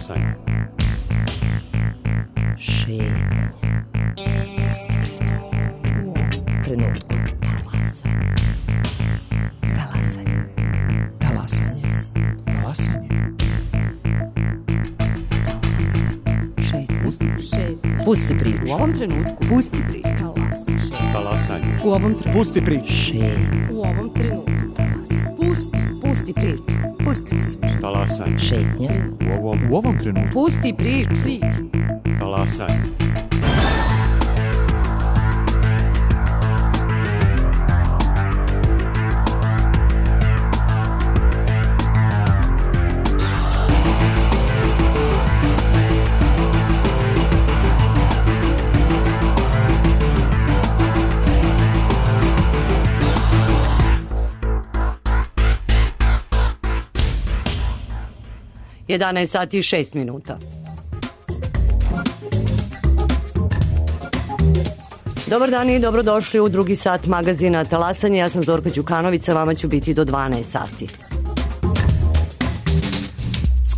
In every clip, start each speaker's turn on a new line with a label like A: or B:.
A: Talasanje.
B: Šetnje. Pusti priču. U ovom trenutku. Talasanje. Talasanje.
C: Talasanje.
B: Šetnje. Pusti priču.
D: U ovom trenutku. Pusti priču.
A: Talasanje.
D: U ovom trenutku.
C: Pusti priču.
B: Šetnje.
D: U ovom trenutku. Pusti priču. Pusti priču.
A: Talasanje.
B: Šetnje.
C: U ovom trenutku.
D: Pusti priču.
A: Talasanje.
E: Jedanaest sati i 6 minuta. Dobar dan i dobrodošli u drugi sat magazina Talasanje. Ja sam Zorka Đukanović, sa vama ću biti do 12 sati.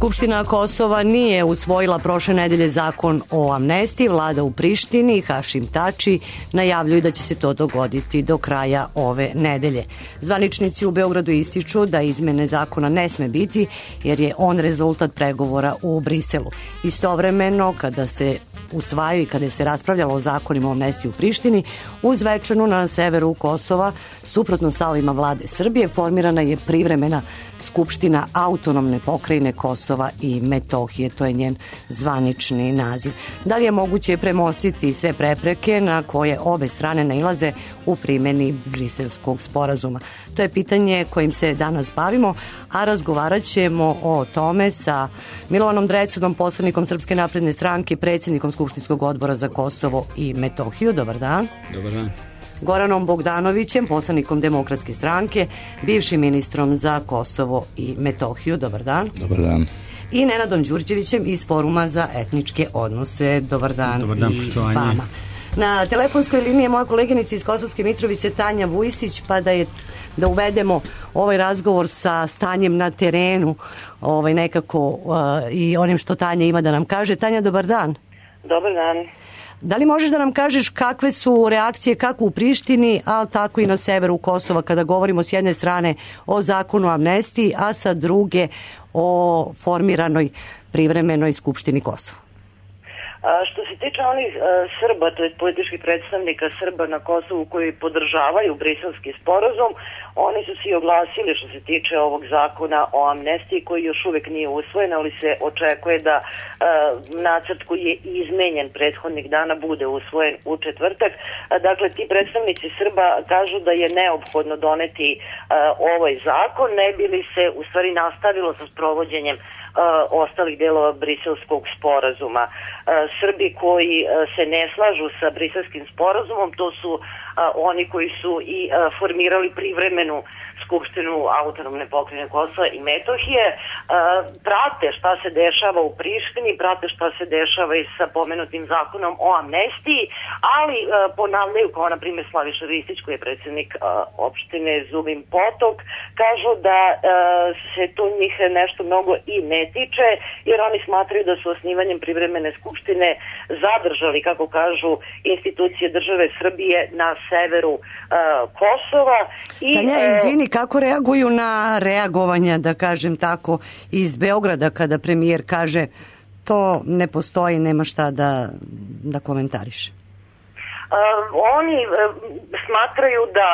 E: Skupština Kosova nije usvojila prošle nedelje zakon o amnestiji. Vlada u Prištini i Hašim Tači najavljuju da će se to dogoditi do kraja ove nedelje. Zvaničnici u Beogradu ističu da izmene zakona ne sme biti jer je on rezultat pregovora u Briselu. Istovremeno, kada se usvajaju i kada se raspravljalo o zakonima o amnestiji u Prištini, u Zvečanu na severu Kosova, suprotno stavovima vlade Srbije, formirana je privremena Skupština autonomne pokrajine Kosova i Metohije. To je njen zvanični naziv. Da li je moguće premostiti sve prepreke na koje obe strane nailaze u primjeni Briselskog sporazuma? To je pitanje kojim se danas bavimo, a razgovarat ćemo o tome sa Milovanom Drecudom, poslanikom Srpske napredne stranke, predsjednikom Skupštinskog odbora za Kosovo i Metohiju. Dobar dan.
C: Dobar dan.
E: Goranom Bogdanovićem, poslanikom Demokratske stranke, bivšim ministrom za Kosovo i Metohiju. Dobar dan.
C: Dobar dan.
E: I Nenadom Đurđevićem iz Foruma za etničke odnose. Dobar dan,
C: Dobar dan,
E: i
C: poštovanje.
E: vama. Na telefonskoj liniji je moja koleginica iz Kosovske Mitrovice Tanja Vujisić, pa da uvedemo ovaj razgovor sa stanjem na terenu, nekako i onim što Tanja ima da nam kaže. Tanja, dobar dan.
F: Dobar dan.
E: Da li možeš da nam kažeš kakve su reakcije kako u Prištini, ali tako i na severu Kosova, kada govorimo s jedne strane o zakonu o amnestiji, a sa druge o formiranoj privremenoj Skupštini Kosova?
F: Što se tiče onih Srba, to je političkih predstavnika Srba na Kosovu koji podržavaju Briselski sporazum, oni su svi oglasili što se tiče ovog zakona o amnestiji koji još uvijek nije usvojen, ali se očekuje da nacrt koji je izmenjen prethodnih dana bude usvojen u četvrtak. Dakle, ti predstavnici Srba kažu da je neophodno doneti ovaj zakon, ne bi li se u stvari nastavilo sa sprovođenjem ostalih delova Briselskog sporazuma. Srbi koji se ne slažu sa Briselskim sporazumom, to su oni koji su i formirali privremenu Skupštinu autonomne pokrajine Kosova i Metohije, prate šta se dešava u Prištini, prate šta se dešava i sa pomenutim zakonom o amnestiji, ali ponavljaju, kao na primjer Slaviša Ristić, koji je predsjednik opštine Zubin Potok, kažu da se to njih nešto mnogo i ne tiče, jer oni smatraju da su osnivanjem privremene skupštine zadržali, kako kažu, institucije države Srbije na severu Kosova.
E: Tanja, izvini, kako reaguju na reagovanja, da kažem tako, iz Beograda kada premijer kaže to ne postoji, nema šta da komentariše?
F: Oni smatraju da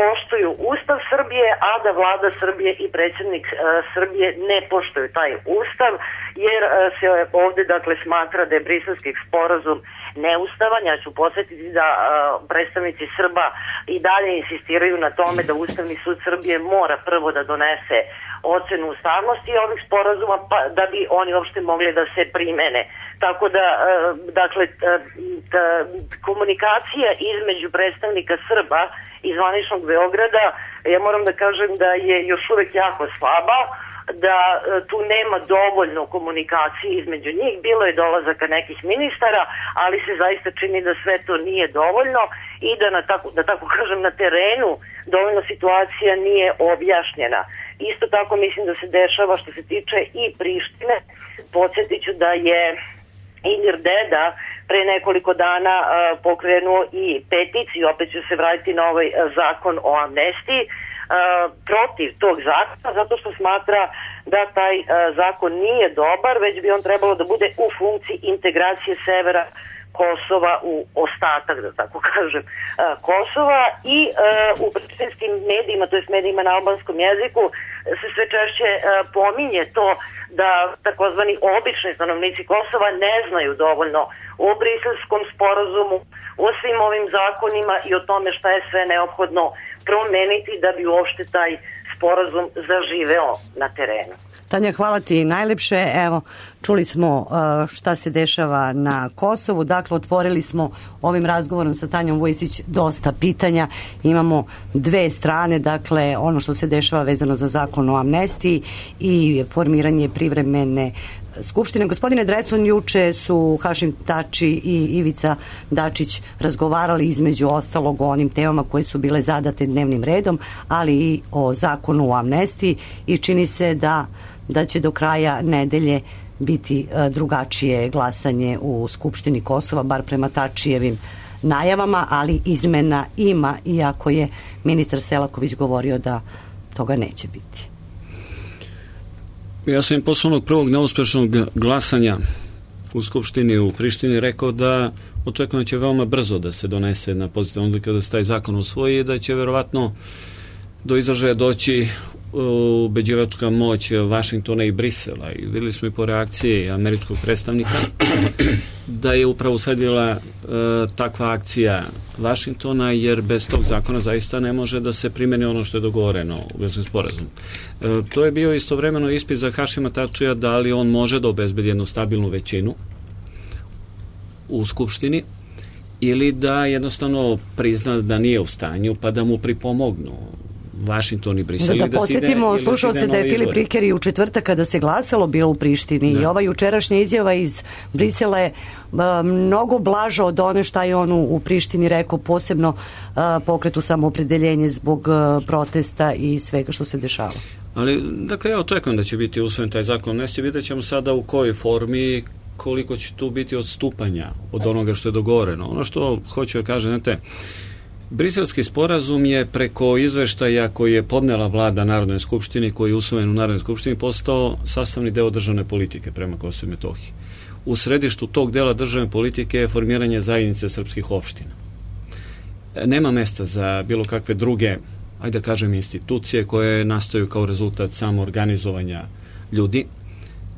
F: poštuju Ustav Srbije, a da vlada Srbije i predsjednik Srbije ne poštuju taj Ustav, jer se ovdje dakle smatra da je Briselski sporazum neustavan. Ja ću podsjetiti da predstavnici Srba i dalje insistiraju na tome da Ustavni sud Srbije mora prvo da donese ocenu ustavnosti ovih sporazuma da bi oni uopšte mogli da se primene. Tako da, dakle, komunikacija između predstavnika Srba i zvaničnog Beograda, ja moram da kažem da je još uvijek jako slaba, da tu nema dovoljno komunikacije između njih. Bilo je dolazaka nekih ministara, ali se zaista čini da sve to nije dovoljno i da tako kažem na terenu dovoljno situacija nije objašnjena. Isto tako mislim da se dešava što se tiče i Prištine, Podsjetit ću da je Ilir Deda pre nekoliko dana pokrenuo i peticiju, opet ću se vratiti na ovaj zakon o amnestiji, protiv tog zakona, zato što smatra da taj zakon nije dobar, već bi on trebalo da bude u funkciji integracije severa Kosova u ostatak, da tako kažem, Kosova, i u prištinskim medijima, to jest medijima na albanskom jeziku, se sve češće pominje to da takozvani obični stanovnici Kosova ne znaju dovoljno o Briselskom sporazumu, o svim ovim zakonima i o tome šta je sve neophodno promeniti da bi uopšte taj sporazum zaživeo na terenu.
E: Tanja, hvala ti najlepše. Evo, čuli smo šta se dešava na Kosovu. Dakle, otvorili smo ovim razgovorom sa Tanjom Vujisić dosta pitanja. Imamo dve strane, dakle, ono što se dešava vezano za zakon o amnestiji i formiranje privremene Skupštine. Gospodine Drecun, juče su Hašim Tači i Ivica Dačić razgovarali između ostalog o onim temama koje su bile zadate dnevnim redom, ali i o zakonu o amnestiji, i čini se da će do kraja nedelje biti drugačije glasanje u Skupštini Kosova, bar prema Tačijevim najavama, ali izmena ima, iako je ministar Selaković govorio da toga neće biti.
G: Ja sam im posle onog prvog neuspešnog glasanja u Skupštini u Prištini rekao da očekujem da će veoma brzo da se donese na pozitivnu odluku, da se taj zakon usvoji i da će verovatno do izražaja doći ubeđivačka moć Vašingtona i Brisela, i videli smo i po reakciji američkog predstavnika da je upravo usledila takva akcija Vašingtona, jer bez tog zakona zaista ne može da se primeni ono što je dogovoreno u Briselskom sporazumu. To je bio istovremeno ispit za Hašima Tačija da li on može da obezbedi jednu stabilnu većinu u Skupštini ili da jednostavno prizna da nije u stanju, pa da mu pripomognu Vašington i Brisel.
E: Da podsjetimo slušalce da je Filip Rikeri u četvrtak kada se glasalo bilo u Prištini, i ova jučerašnja izjava iz Brisela je mnogo blaža od one šta je on u Prištini rekao, posebno pokretu Samoopredeljenje zbog protesta i svega što se dešava.
G: Ali, dakle, ja očekujem da će biti usvojen taj zakon amnestije. Vidjet ćemo sada u kojoj formi, koliko će tu biti odstupanja od onoga što je dogovoreno. Ono što hoću da kažem, znate, Briselski sporazum je preko izveštaja koji je podnela vlada Narodnoj skupštini, koji je usvojen u Narodnoj skupštini, postao sastavni deo državne politike prema Kosovu i Metohiji. U središtu tog dela državne politike je formiranje zajednice srpskih opština. Nema mesta za bilo kakve druge, ajde da kažem, institucije koje nastaju kao rezultat samoorganizovanja ljudi,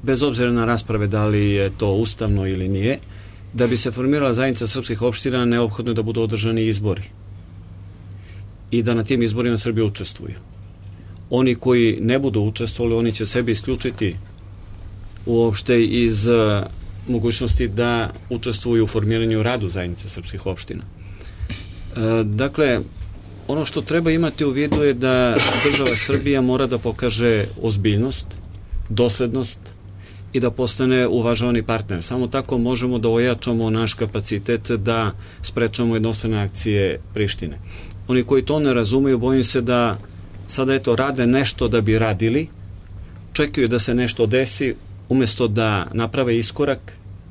G: bez obzira na rasprave da li je to ustavno ili nije. Da bi se formirala zajednica srpskih opština, neophodno je da budu održani izbori i da na tim izborima Srbi učestvuju. Oni koji ne budu učestvovali, oni će sebi isključiti uopšte iz mogućnosti da učestvuju u formiranju radu zajednice srpskih opština. Dakle, ono što treba imati u vidu je da država Srbija mora da pokaže ozbiljnost, doslednost i da postane uvažavani partner. Samo tako možemo da ojačamo naš kapacitet da sprečamo jednostrane akcije Prištine. Oni koji to ne razumeju, bojim se da sada rade nešto da bi radili, čekaju da se nešto desi, umjesto da naprave iskorak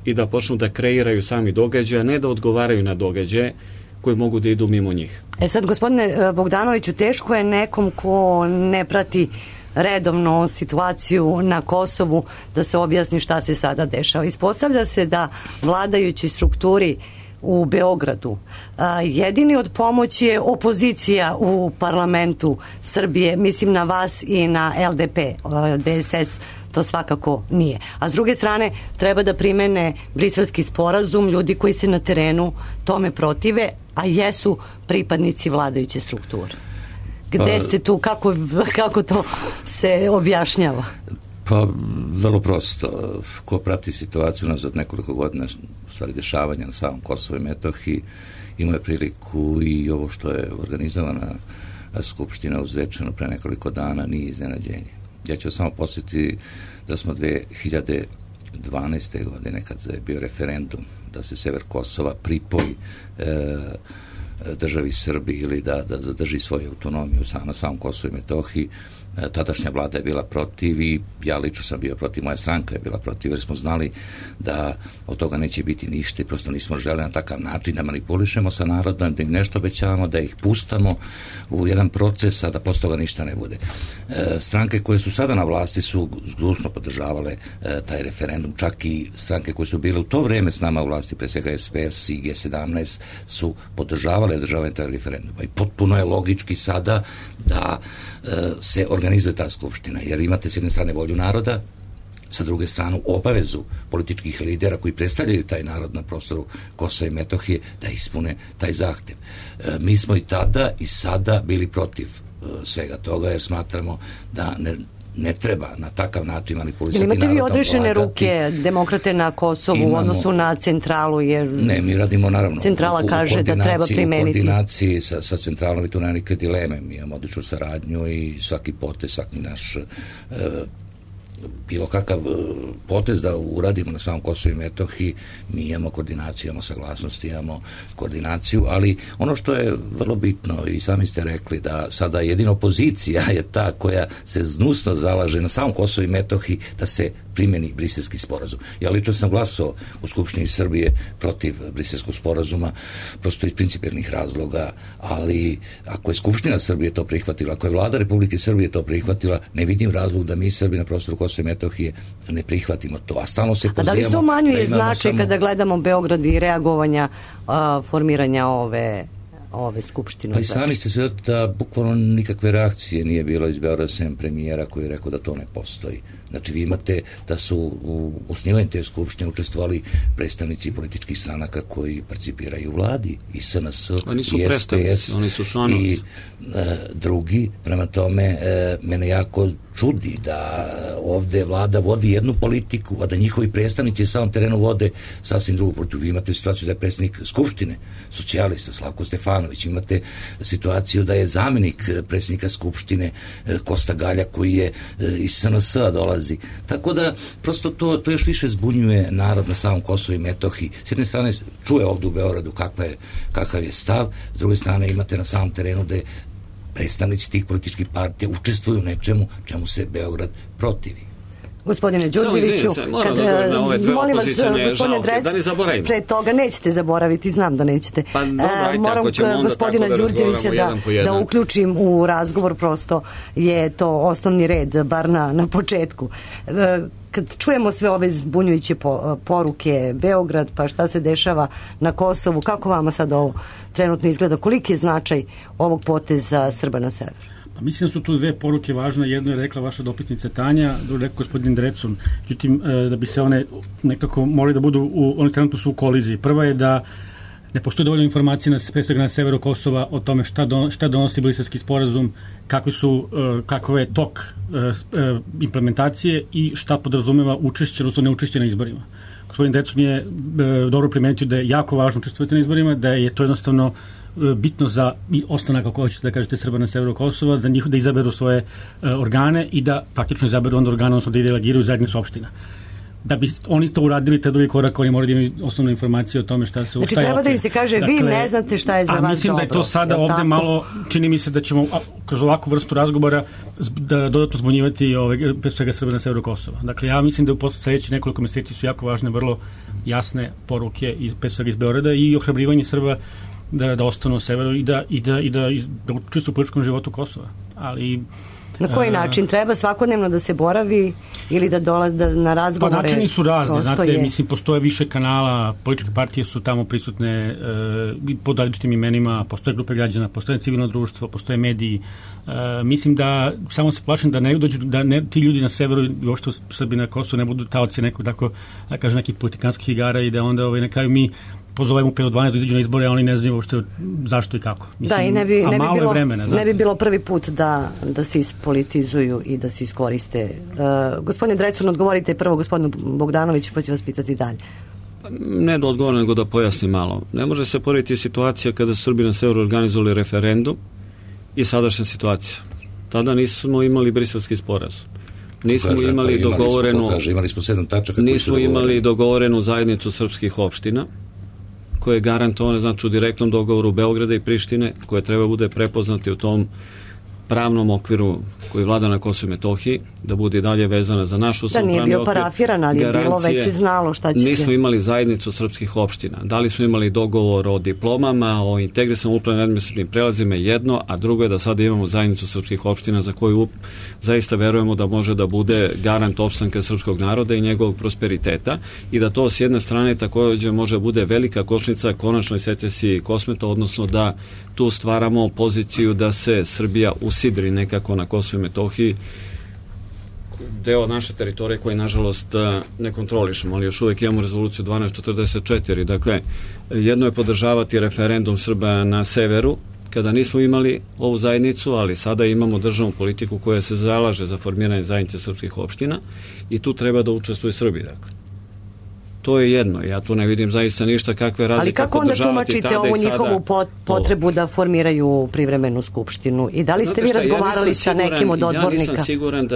G: i da počnu da kreiraju sami događaje, a ne da odgovaraju na događaje koji mogu da idu mimo njih.
E: Sad, gospodine Bogdanoviću, teško je nekom ko ne prati redovno situaciju na Kosovu da se objasni šta se sada dešava. Ispostavlja se da vladajući strukturi u Beogradu jedini od pomoći je opozicija u parlamentu Srbije, mislim na vas i na LDP, DSS to svakako nije. A s druge strane treba da primene Briselski sporazum ljudi koji se na terenu tome protive, a jesu pripadnici vladajuće strukture. Gde ste tu, kako to se objašnjava?
H: Pa, vrlo prosto. Ko prati situaciju nazad nekoliko godina, stvari dešavanja na samom Kosovu i Metohiji, imao je priliku i ovo što je organizovana skupština u Zvečanu pre nekoliko dana nije iznenađenje. Ja ću samo posjetiti da smo 2012. godine, kad je bio referendum da se sever Kosova pripoji državi Srbiji ili da zadrži svoju autonomiju na samom Kosovu i Metohiji. Tadašnja vlada je bila protiv i ja lično sam bio protiv, moja stranka je bila protiv, jer smo znali da od toga neće biti ništa i prosto nismo želeli na takav način da manipulišemo sa narodom, da im nešto obećavamo, da ih pustamo u jedan proces, a da posle toga ništa ne bude. Stranke koje su sada na vlasti su zdušno podržavale taj referendum, čak i stranke koje su bile u to vreme s nama u vlasti, pre svega SPS i G17, su podržavale održavanje taj referenduma. I potpuno je logički sada da se organizuje ta skupština, jer imate s jedne strane volju naroda, sa druge strane obavezu političkih lidera koji predstavljaju taj narod na prostoru Kosova i Metohije da ispune taj zahtev. Mi smo i tada i sada bili protiv svega toga, jer smatramo da ne treba na takav način manipulisati narodom.
E: Imate vi odrešene ruke demokrate na Kosovu u odnosu na centralu? Jer
H: ne, mi radimo naravno
E: centrala kaže da treba primeniti.
H: U koordinaciji sa centralom i tu nema nikakve dileme. Mi imamo odličnu saradnju i svaki potez, svaki naš bilo kakav potez da uradimo na samom Kosovu i Metohiji, mi imamo koordinaciju, imamo saglasnost, imamo koordinaciju, ali ono što je vrlo bitno i sami ste rekli da sada jedina opozicija je ta koja se znusno zalaže na samom Kosovu i Metohiji da se primjeni Briselski sporazum. Ja lično sam glasao u Skupštini Srbije protiv Briselskog sporazuma, prosto iz principijelnih razloga, ali ako je Skupština Srbije to prihvatila, ako je vlada Republike Srbije to prihvatila, ne vidim razlog da mi Srbi na prostoru Kosova i Metohije ne prihvatimo to. A stalno se pozivamo.
E: A da li se umanjuje značaj kada gledamo Beograd i reagovanja formiranja ove skupštine?
H: Pa i sami ste sve da bukvalno nikakve reakcije nije bilo iz Beograda sem premijera koji je rekao da to ne postoji. Znači vi imate da su u osnivanju te skupštine učestvovali predstavnici političkih stranaka koji participiraju u vladi i SNS i SPS i drugi. Prema tome mene jako čudi da ovde vlada vodi jednu politiku, a da njihovi predstavnici na samom terenu vode sasvim drugu politiku. Vi imate situaciju da je predsjednik skupštine socijalista Slavko Stefanović, imate situaciju da je zamjenik predsjednika skupštine Kosta Galja koji je iz SNS-a dolazi. Tako da prosto to još više zbunjuje narod na samom Kosovu i Metohiji. S jedne strane čuje ovdje u Beogradu kakav je stav, s druge strane imate na samom terenu da je predstavnici tih političkih partija učestvuju u nečemu čemu se Beograd protivi.
E: Gospodine Đurđeviću, molim vas, gospodine Drec, pre toga nećete zaboraviti, znam da nećete. Moram gospodina Đurđevića da uključim u razgovor, prosto je to osnovni red, bar na početku. Kad čujemo sve ove zbunjujuće poruke, Beograd, pa šta se dešava na Kosovu, kako vama sad ovo trenutno izgleda? Koliki je značaj ovog poteza Srba na severu?
I: Pa mislim da su tu dve poruke važne. Jedno je rekla vaša dopisnica Tanja, drugo je rekao gospodin Drecun. Međutim, da bi se one nekako morali da budu, oni trenutno su u koliziji. Prva je da ne postoji dovoljno informacija na severu Kosova o tome šta donosi Briselski sporazum, kakav je tok implementacije i šta podrazumeva učešće, odnosno neučešće na izborima. Gospodin Drecun je dobro primetio da je jako važno učestvovati na izborima, da je to jednostavno bitno za ostanak, ako hoćete da kažete, Srba na severu Kosova, za njih da izaberu svoje organe i da praktično izaberu onda organe, odnosno da delegiraju zajednicu opština. Da bi oni to uradili, taj drugi korak, oni moraju da imaju osnovne informacije o tome šta se...
E: Znači treba da im se kaže, vi ne znate šta je za vas dobro. A
I: mislim da je to sada ovde malo, čini mi se da ćemo kroz ovakvu vrstu razgovora da dodatno zbunjivati pre svega Srba na severu Kosova. Dakle, ja mislim da u sledećih nekoliko meseci su jako važne, vrlo jasne poruke pre svega iz Beograda i ohrabrivanje Srba da ostanu u severu i da učestvuju u političkom životu Kosova. Ali
E: na koji način? Treba svakodnevno da se boravi ili da dolaze na razgovore?
I: Pa načini su razni, znate, mislim, postoje više kanala, političke partije su tamo prisutne pod različitim imenima, postoje grupe građana, postoje civilno društvo, postoje mediji. Mislim da, samo se plašim da ne dođu, da ti ljudi na severu i uopšte Srbi na Kosovu ne budu taoci nekog, tako da kažem, nekih politikanskih igara i da onda na kraju mi pozovemo 5 od 12 da izađu na izbore, a oni ne znaju uopšte zašto i kako. Mislim,
E: da, i ne bi bilo prvi put da se ispolitizuju i da se iskoriste. Gospodine Drecun, odgovorite prvo gospodinu Bogdanoviću, pa ću vas pitati dalje.
G: Ne da odgovorim, nego da pojasnim malo. Ne može se porediti situacija kada su Srbi na severu organizovali referendum i sadašnja situacija. Tada nismo imali Briselski sporazum. Nismo imali dogovorenu...
H: Imali smo 7 tačaka.
G: Nismo imali dogovorenu zajednicu srpskih opština koje je garantovane, znači u direktnom dogovoru Beograda i Prištine, koje treba bude prepoznati u tom pravnom okviru koji vlada na Kosovu i Metohiji, da bude i dalje vezana za naš ustavnopravni okvir.
E: Da nije bio parafiran, ali je bilo već se znalo šta će se...
G: Nismo imali zajednicu srpskih opština. Da li smo imali dogovor o diplomama, o integrisanom upravnim administrativnim prelazima jedno, a drugo je da sada imamo zajednicu srpskih opština za koju zaista verujemo da može da bude garant opstanka srpskog naroda i njegovog prosperiteta i da to s jedne strane također može bude velika kočnica konačnoj secesiji Kosmeta, odnosno da tu stvaramo poziciju da se Srbija usidri nekako na Kosovu i Metohiji, deo naše teritorije koji nažalost ne kontrolišemo, ali još uvijek imamo rezoluciju 1244. Dakle, jedno je podržavati referendum Srba na severu, kada nismo imali ovu zajednicu, ali sada imamo državnu politiku koja se zalaže za formiranje zajednice srpskih opština i tu treba da učestvuje Srbi. Dakle, to je jedno. Ja tu ne vidim zaista ništa kakve razlike.
E: Ali kako onda tumačite ovu njihovu potrebu da formiraju privremenu skupštinu? I da li ste vi razgovarali sa nekim od odbornika?
G: Ja nisam siguran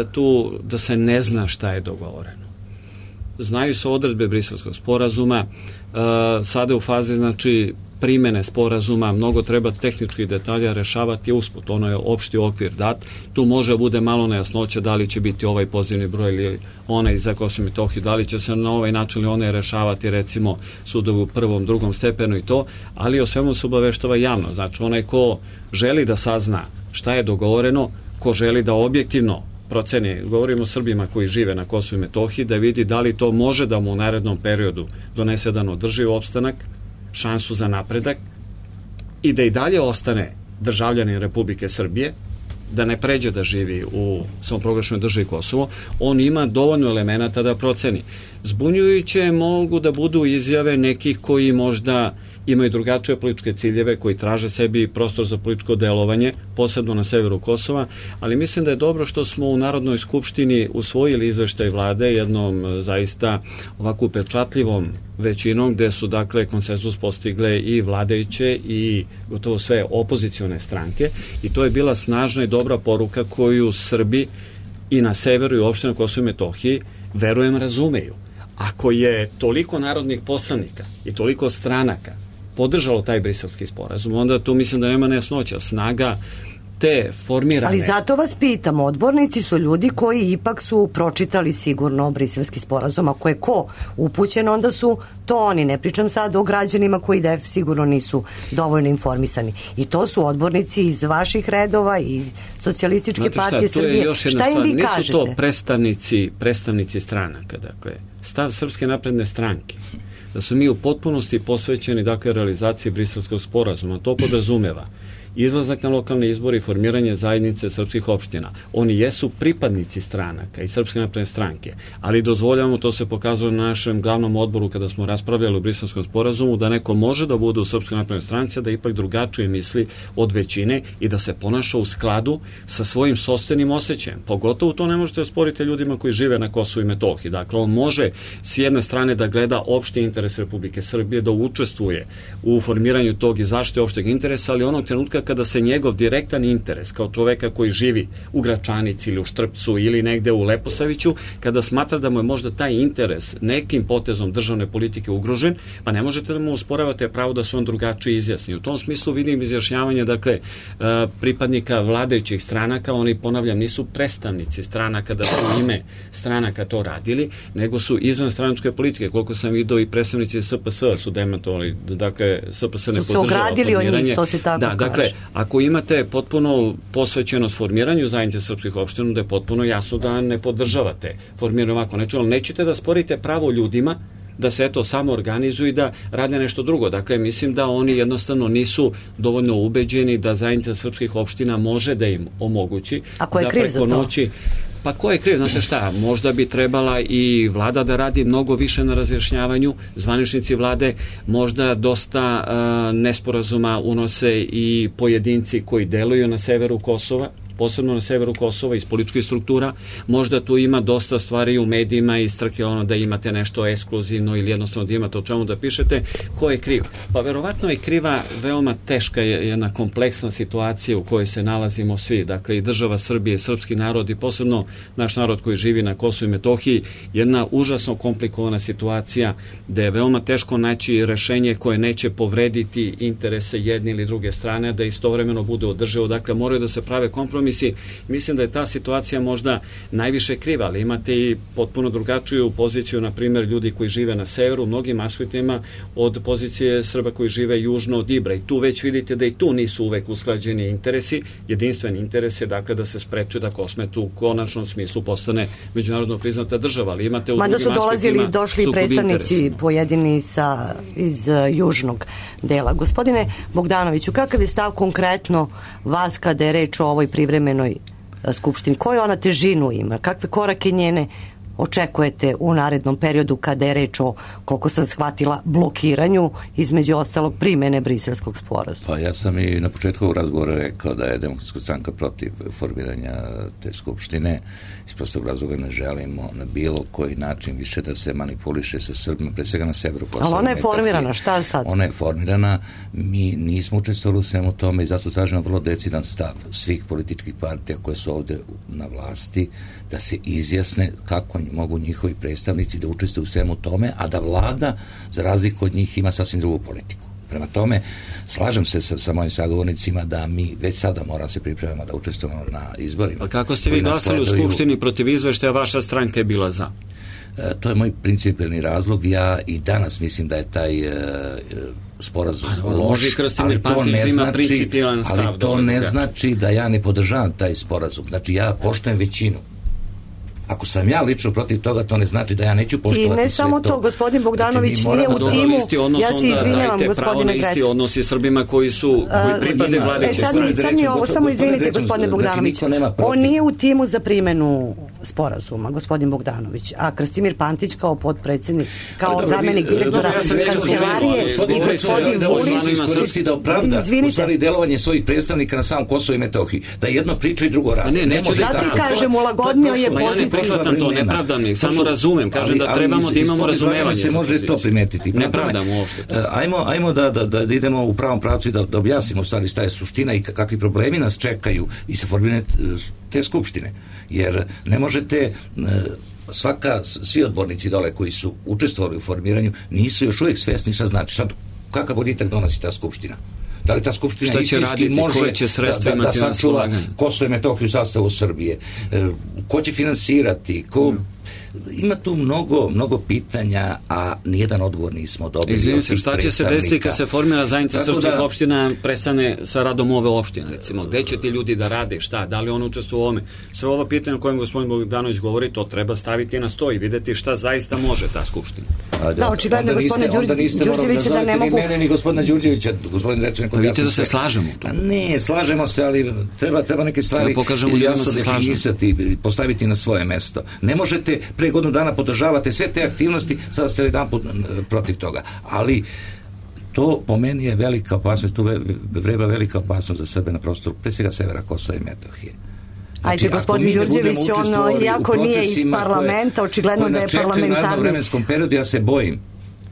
G: da se ne zna šta je dogovoreno. Znaju se odredbe Briselskog sporazuma, sada je u fazi, znači, primene sporazuma, mnogo treba tehničkih detalja rešavati usput, ono je opšti okvir dat, tu može bude malo nejasnoće da li će biti ovaj pozivni broj ili onaj za Kosovo i Metohiju, da li će se na ovaj način ili one rešavati recimo sudovi u prvom, drugom stepenu i to, ali o svemu se obaveštava javno, znači onaj ko želi da sazna šta je dogovoreno, ko želi da objektivno proceni, govorimo o Srbima koji žive na Kosovu i Metohiji, da vidi da li to može da mu u narednom periodu donese jedan održiv opstanak, šansu za napredak i da i dalje ostane državljanin Republike Srbije, da ne pređe da živi u samoproglašenoj državi Kosovo, on ima dovoljno elemenata da proceni. Zbunjujuće mogu da budu izjave nekih koji možda imaju drugačije političke ciljeve, koji traže sebi prostor za političko delovanje, posebno na severu Kosova, ali mislim da je dobro što smo u Narodnoj skupštini usvojili izveštaj vlade jednom zaista ovako upečatljivom većinom, gde su dakle konsenzus postigle i vladajuće i gotovo sve opozicione stranke i to je bila snažna i dobra poruka koju Srbi i na severu i uopšte na Kosovu i Metohiji verujem razumeju. Ako je toliko narodnih poslanika i toliko stranaka podržalo taj briselski sporazum, onda tu mislim da nema nejasnoća. Snaga te formirane...
E: Ali zato vas pitam, odbornici su ljudi koji ipak su pročitali sigurno briselski sporazum. Ako je ko upućen, onda su to oni. Ne pričam sad o građanima koji sigurno nisu dovoljno informisani. I to su odbornici iz vaših redova i Socijalističke partije Srbije. Šta im vi kažete?
G: Nisu to predstavnici stranaka. Dakle, stav Srpske napredne stranke da su mi u potpunosti posvećeni dakle realizaciji briselskog sporazuma. To podrazumeva izlazak na lokalne izbore i formiranje zajednice srpskih opština. Oni jesu pripadnici stranaka i Srpske napredne stranke, ali dozvoljavamo, to se pokazalo na našem glavnom odboru kada smo raspravljali o briselskom sporazumu, da neko može da bude u Srpskoj naprednoj stranci, da ipak drugačije misli od većine i da se ponaša u skladu sa svojim sopstvenim osjećajem. Pogotovo to ne možete osporiti ljudima koji žive na Kosovu i Metohiji. Dakle, on može s jedne strane da gleda opšti interes Republike Srbije, da učestvuje u formiranju tog i zaštite opšteg interesa, ali onog trenutka kada se njegov direktan interes kao čoveka koji živi u Gračanici ili u Štrpcu ili negde u Leposaviću, kada smatra da mu je možda taj interes nekim potezom državne politike ugrožen, pa ne možete da mu usporavate pravo da se on drugačije izjasni. U tom smislu vidim izjašnjavanje, dakle, pripadnika vladajućih stranaka, oni, ponavljam, nisu predstavnici stranaka da su ime stranaka to radili, nego su izvan stranačke politike. Koliko sam vidio i predstavnici SPS su demantovali, dakle, SPS ne podržava formiranje.
E: To se tako
G: kaže. Dakle, ako imate potpuno posvećenost formiranju zajednice srpskih opština, da je potpuno jasno da ne podržavate formiranje ovako nečega, ali nećete da sporite pravo ljudima da se eto samo organizuju i da rade nešto drugo. Dakle, mislim da oni jednostavno nisu dovoljno ubeđeni da zajednica srpskih opština može da im omogući da preko noći... Pa ko je kriv? Znate šta, možda bi trebala i vlada da radi mnogo više na razjašnjavanju, zvaničnici vlade, možda dosta nesporazuma unose i pojedinci koji deluju na severu Kosova, posebno na severu Kosova iz političkih struktura. Možda tu ima dosta stvari u medijima i strke da imate nešto ekskluzivno ili jednostavno da imate o čemu da pišete. Ko je kriv? Pa verovatno je kriva veoma teška jedna kompleksna situacija u kojoj se nalazimo svi. Dakle, i država Srbije, i srpski narod i posebno naš narod koji živi na Kosovu i Metohiji, jedna užasno komplikovana situacija gde je veoma teško naći rešenje koje neće povrediti interese jedne ili druge strane, da istovremeno bude održivo. Dakle, moraju da se prave kompromisi. Mislim da je ta situacija možda najviše kriva, ali imate i potpuno drugačiju poziciju, na primjer, ljudi koji žive na severu, u mnogim aspektima od pozicije Srba koji žive južno od Ibra. I tu već vidite da i tu nisu uvek usklađeni interesi. Jedinstven interes je, dakle, da se spreče da Kosmet u konačnom smislu postane međunarodno priznata država, ali imate u drugim aspektima
E: mada su dolazili i došli predstavnici pojedini iz južnog dela. Gospodine Bogdanoviću, kakav je stav konkretno vas kada je reč o ovoj privremenoj skupštini? Koju ona težinu ima? Kakve korake njene očekujete u narednom periodu kada je reč o, koliko sam shvatila, blokiranju, između ostalog primene Briselskog sporazuma?
H: Pa ja sam i na početku ovog razgovora rekao da je Demokratska stranka protiv formiranja te skupštine. Iz prostog razloga ne želimo na bilo koji način više da se manipuliše sa Srbima, pre svega na severu Kosova.
E: Ali ona je formirana, šta sad?
H: Ona je formirana, mi nismo učestvovali u svemu tome i zato tražimo vrlo decidan stav svih političkih partija koje su ovde na vlasti, da se izjasne kako mogu njihovi predstavnici da učestvuju u svemu tome, a da vlada, za razliku od njih, ima sasvim drugu politiku. Prema tome, slažem se sa mojim sagovornicima da mi već sada moramo se pripremamo da učestvujemo na izborima.
G: A kako ste vi glasali u Skupštini protiv izveštaja, vaša stranka je bila za?
H: To je moj principijelni razlog. Ja i danas mislim da je taj sporazum loš, ali to ne znači da ja ne podržavam taj sporazum. Znači, ja poštujem većinu. Ako sam ja lično protiv toga, to ne znači da ja neću poštovati sve to.
E: I ne samo to, gospodin Bogdanović nije u timu, ja se izvinjavam, gospodine Grec.
G: Isti odnosi Srbima koji pripade vladeće strane.
E: Sad mi ovo, samo izvinite, gospodine Bogdanović, on nije u timu za primenu sporazuma, gospodin Bogdanović, a Krstimir Pantić kao potpredsjednik, kao zamenik direktora kancelarije i gospodin Vulić
H: iskoristiti da opravda u stvari delovanje svojih predstavnika na samom Kosovu i Metohiji, da jedno priča i drugo radi.
E: Zato ti kažem, ulagodnio je pozicija.
G: Prihvatam to, ne pravdam ih, samo razumem, kažem da trebamo da imamo razumevanje.
H: Se može to primetiti.
G: Ne pravdam uopšte.
H: Ajmo da idemo u pravom pravcu i da objasnimo stvari šta je suština i kakvi problemi nas čekaju i sa formiranjem te skupštine. Jer ne možete svi odbornici dole koji su učestvovali u formiranju nisu još uvijek svesni šta znači. Sad, kakav boljitak donosi ta skupština? Da li ta skupština istinski može da sačuva Kosovo i Metohiju u sastavu Srbije? Ko će finansirati? Ima tu mnogo pitanja, a nijedan odgovor nismo dobili.
G: Izvinim se, šta će se desiti kad se formira zajednica srpskih opština, prestane sa radom ove opštine, recimo? Gde će ti ljudi da rade, šta? Da li on učestvuju u ovome? Sve ovo pitanje o kojem gospodin Bogdanović govori, to treba staviti na sto i videti šta zaista može ta skupština.
E: Da, očigledno gospodine Đurđevića da ne mogu...
H: Ni mene, ni gospodina Đurđevića, gospodin Recun.
G: Vidite da se slažemo tu.
H: Ne, slažemo se, ali treba neke stvari jasno definisati, postaviti na svoje mesto. Ne možete pre godinu dana podržavate sve te aktivnosti, sada ste jedan put protiv toga. Ali to po meni je velika opasnost, tu vreba velika opasnost za Srbe na prostoru, pre svega severa Kosova i Metohije.
E: Ajde, gospodin Đurđević, iako nije iz parlamenta, očigledno da je parlamentarni...
H: U narednom vremenskom periodu ja se bojim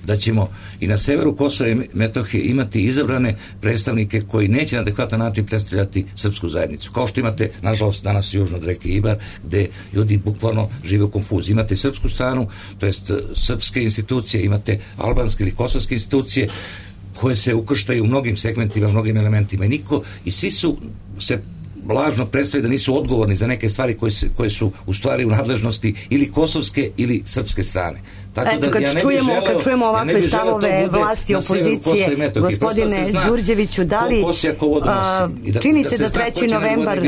H: da ćemo i na severu Kosova i Metohije imati izabrane predstavnike koji neće na adekvatan način predstavljati srpsku zajednicu. Kao što imate, nažalost, danas južno od reke Ibar, gde ljudi bukvalno žive u konfuziji. Imate srpsku stranu, to jest srpske institucije, imate albanske ili kosovske institucije koje se ukrštaju u mnogim segmentima, mnogim elementima i svi su se lažno predstavljaju da nisu odgovorni za neke stvari koje su u stvari u nadležnosti ili kosovske ili srpske strane.
E: Tako da, kad čujemo ovakve stavove vlasti i opozicije, gospodine Đurđeviću, da li čini se da 3. novembar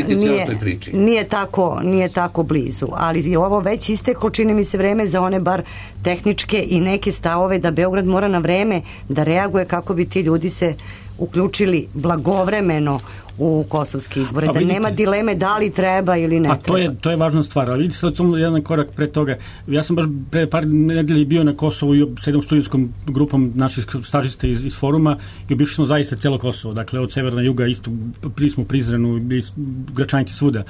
E: nije tako blizu, ali je ovo već isteklo, čini mi se, vreme za one bar tehničke i neke stavove da Beograd mora na vreme da reaguje kako bi ti ljudi se uključili blagovremeno u kosovske izbore, da nema dileme da li treba ili ne treba.
I: To je važna stvar, ali vidite sad samo jedan korak pre toga. Ja sam baš pre par nedelja bio na Kosovu i sa jednom studentskom grupom naših stažista iz foruma i obišli smo zaista cijelo Kosovo, dakle od severa na juga, isto smo Prizrenu, Gračanici, svuda.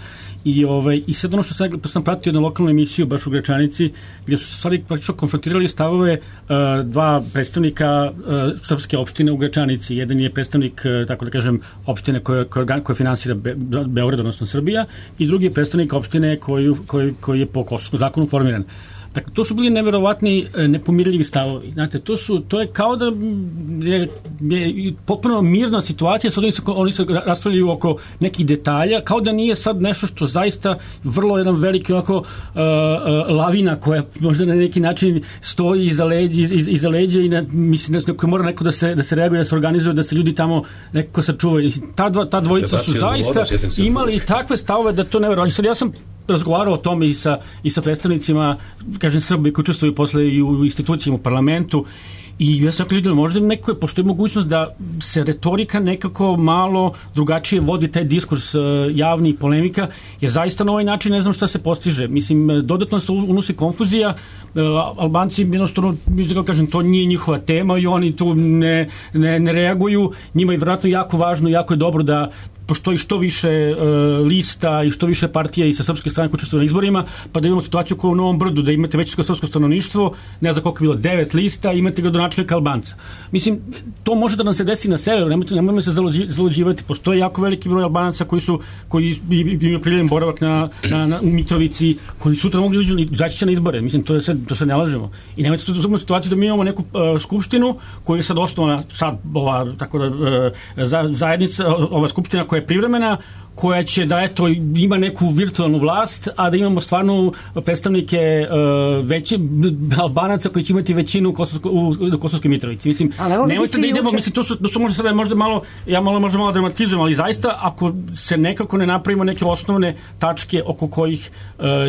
I: I sad ono što sam pratio na lokalnu emisiju baš u Gračanici, gdje su se stvari praktično konfrontirali stavove dva predstavnika srpske opštine u Gračanici. Jedan je predstavnik, tako da kažem, opštine koja finansira Beograd, odnosno Srbija, i drugi je predstavnik opštine koji je po kosovskom zakonu formiran. Dakle, to su bili neverovatni, nepomirljivi stavovi. Znate, to je kao da je potpuno mirna situacija, sad oni se raspravljaju oko nekih detalja, kao da nije sad nešto što zaista vrlo jedan veliki ovako lavina koja možda na neki način stoji iza leđa i mislim da mora neko da se reaguje, da se organizuje, da se ljudi tamo nekako sačuvaju. Ta dvojica su zaista imali takve stavove da to neverovatno. Sad ja sam razgovarao o tome i sa predstavnicima, kažem, Srbi koji učestvuju posle i u institucijama, u parlamentu, i ja sam rekao ljudima, možda postoji mogućnost da se retorika nekako malo drugačije vodi, taj diskurs javni i polemika, jer zaista na ovaj način ne znam šta se postiže. Mislim, dodatno se unosi konfuzija, Albanci jednostavno, kažem, to nije njihova tema i oni tu ne reaguju, njima je vjerojatno jako važno, jako je dobro da postoji što više lista i što više partija i sa srpske strane koji učestvuju na izborima, pa da imamo situaciju kao u Novom Brdu, da imate većinsko srpsko stanovništvo, ne znam koliko je bilo, 9 lista, imate gradonačelnika Albanca. Mislim, to može da nam se desi na severu, nemojmo se zaluđivati. Postoji jako veliki broj Albanaca koji imaju priljeven boravak u Mitrovici, koji sutra mogu izaći na izbore. Mislim, to se ne lažemo. I nemojte se u situaciju da mi imamo neku skupštinu koju je sad osnovana, zajednica, ova skupština koja je privremena, koja će da ima neku virtualnu vlast, a da imamo stvarno predstavnike veće Albanaca koji će imati većinu u Kosovskoj Mitrovici. Mislim, nemojte da idemo, mislim, to su možda malo, ja možda malo dramatizujem, ali zaista ako se nekako ne napravimo neke osnovne tačke oko kojih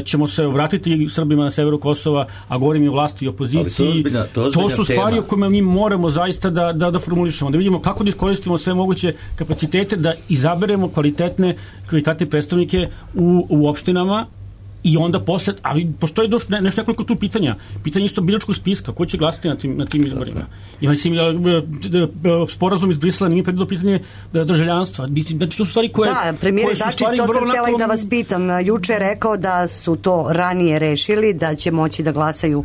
I: ćemo se obratiti Srbima na severu Kosova, a govorim i o vlasti i opoziciji, to su stvari o kojima mi moramo zaista da formulišemo, da vidimo kako da iskoristimo sve moguće kapacitete, da izaberemo kvalitetne predstavnike u opštinama i onda posle, ali postoji nešto nekoliko tu pitanja. Pitanje isto biračkog spiska, ko će glasati na tim izborima. I mislim, sporazum iz Brisela nije predvidio pitanje državljanstva. Znači, to su stvari koje...
E: Da, premijer Dačić, to sam htjela i da vas pitam. Juče je rekao da su to ranije rešili, da će moći da glasaju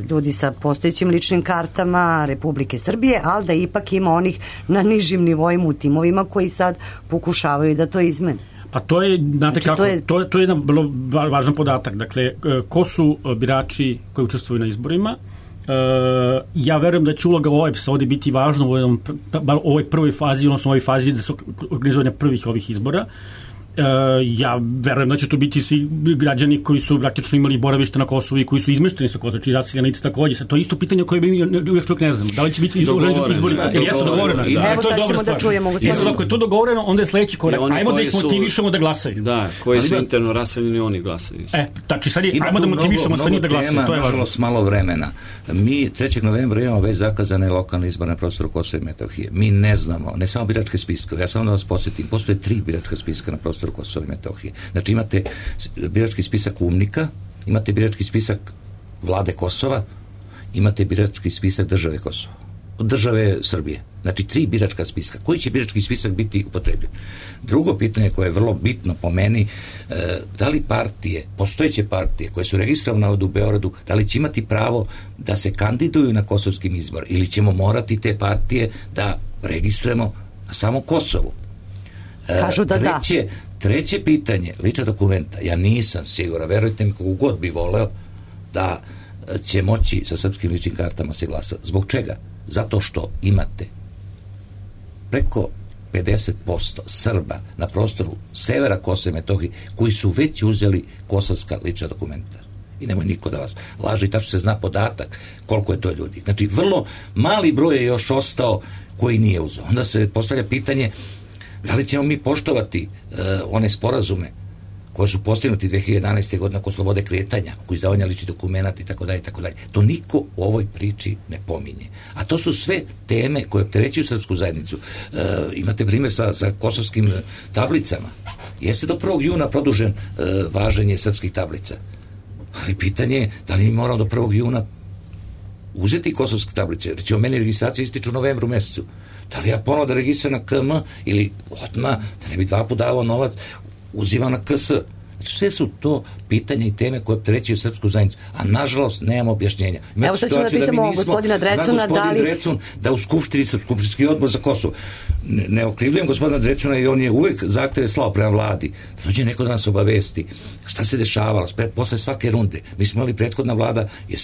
E: ljudi sa postojećim ličnim kartama Republike Srbije, ali da ipak ima onih na nižim nivoima u timovima koji sad pokušavaju da to izmene.
I: Pa to je, znate kako, to je jedan vrlo važan podatak. Dakle, ko su birači koji učestvuju na izborima? Ja verujem da će uloga OEBS-a ovdje biti važna u ovoj prvoj fazi, odnosno u ovoj fazi da su organizovanja prvih ovih izbora. Ja verujem da će to biti svi građani koji su praktično imali boravište na Kosovu i koji su izmešteni sa Kosova, čiji raseljenici također. To je isto pitanje koje mi još čovjek ne znamo. Da li će biti izbori? Jeste dogovoreno.
E: Evo sad ćemo da čujemo.
I: Ako je to dogovoreno, onda je sledeći korak. Ajmo da ih motivišemo da glasaju.
G: Da, koji su interno raseljeni, oni glasaju.
I: Znači sad ajmo da motivišemo sve njih da glasaju. To je važno.
H: Malo vremena. Mi 3. novembra imamo već zakazane lokalne izbore na prostoru Kosova i Metohije. Mi ne znamo, ne samo biračke spiske. Ja samo da vas posjetim, postoje 3 biračka spiska na prostoru Kosova i Metohije. Znači imate birački spisak UMNIK-a, imate birački spisak vlade Kosova, imate birački spisak države Kosova, države Srbije. Znači 3 biračka spiska. Koji će birački spisak biti upotrebljen? Drugo pitanje koje je vrlo bitno po meni, da li partije, postojeće partije koje su registrovane ovdje u Beogradu, da li će imati pravo da se kandiduju na kosovskim izborima ili ćemo morati te partije da registrujemo na samom Kosovu?
E: Kažu da
H: Treće pitanje, lična dokumenta, ja nisam siguran, verujte mi, kako god bi voleo da će moći sa srpskim ličnim kartama se glasati. Zbog čega? Zato što imate preko 50% Srba na prostoru severa Kosova i Metohije koji su već uzeli kosovska lična dokumenta. I nemoj niko da vas laže, i tačno se zna podatak koliko je to ljudi. Znači, vrlo mali broj je još ostao koji nije uzeo. Onda se postavlja pitanje da li ćemo mi poštovati one sporazume koje su postignuti 2011. godine oko slobode kretanja, oko izdavanja ličnih dokumenata itd. To niko u ovoj priči ne pominje. A to su sve teme koje opterećuju srpsku zajednicu. Imate primjer sa kosovskim tablicama. Jeste do 1. juna produžen važenje srpskih tablica. Ali pitanje je da li mi moramo do 1. juna uzeti kosovske tablice. Recimo, meni registracija ističe u novembru mesecu. Da li ja ponovo da registrujem na KM ili odmah, da ne bi 2 puta davao novac, uzimam na KS. Znači, sve su to pitanja i teme koje opterećuju srpsku zajednicu, a nažalost nemamo objašnjenja.
E: Evo sad ćemo da pitamo gospodina Drecuna
H: da u Skupštini Skupštinski odbor za Kosovo, ne okrivljujem gospodina Drecuna i on je uvek zahteve slao prema vladi, da dođe neko da nas obavesti šta se dešavalo posle svake runde. Mi smo imali prethodna vlada i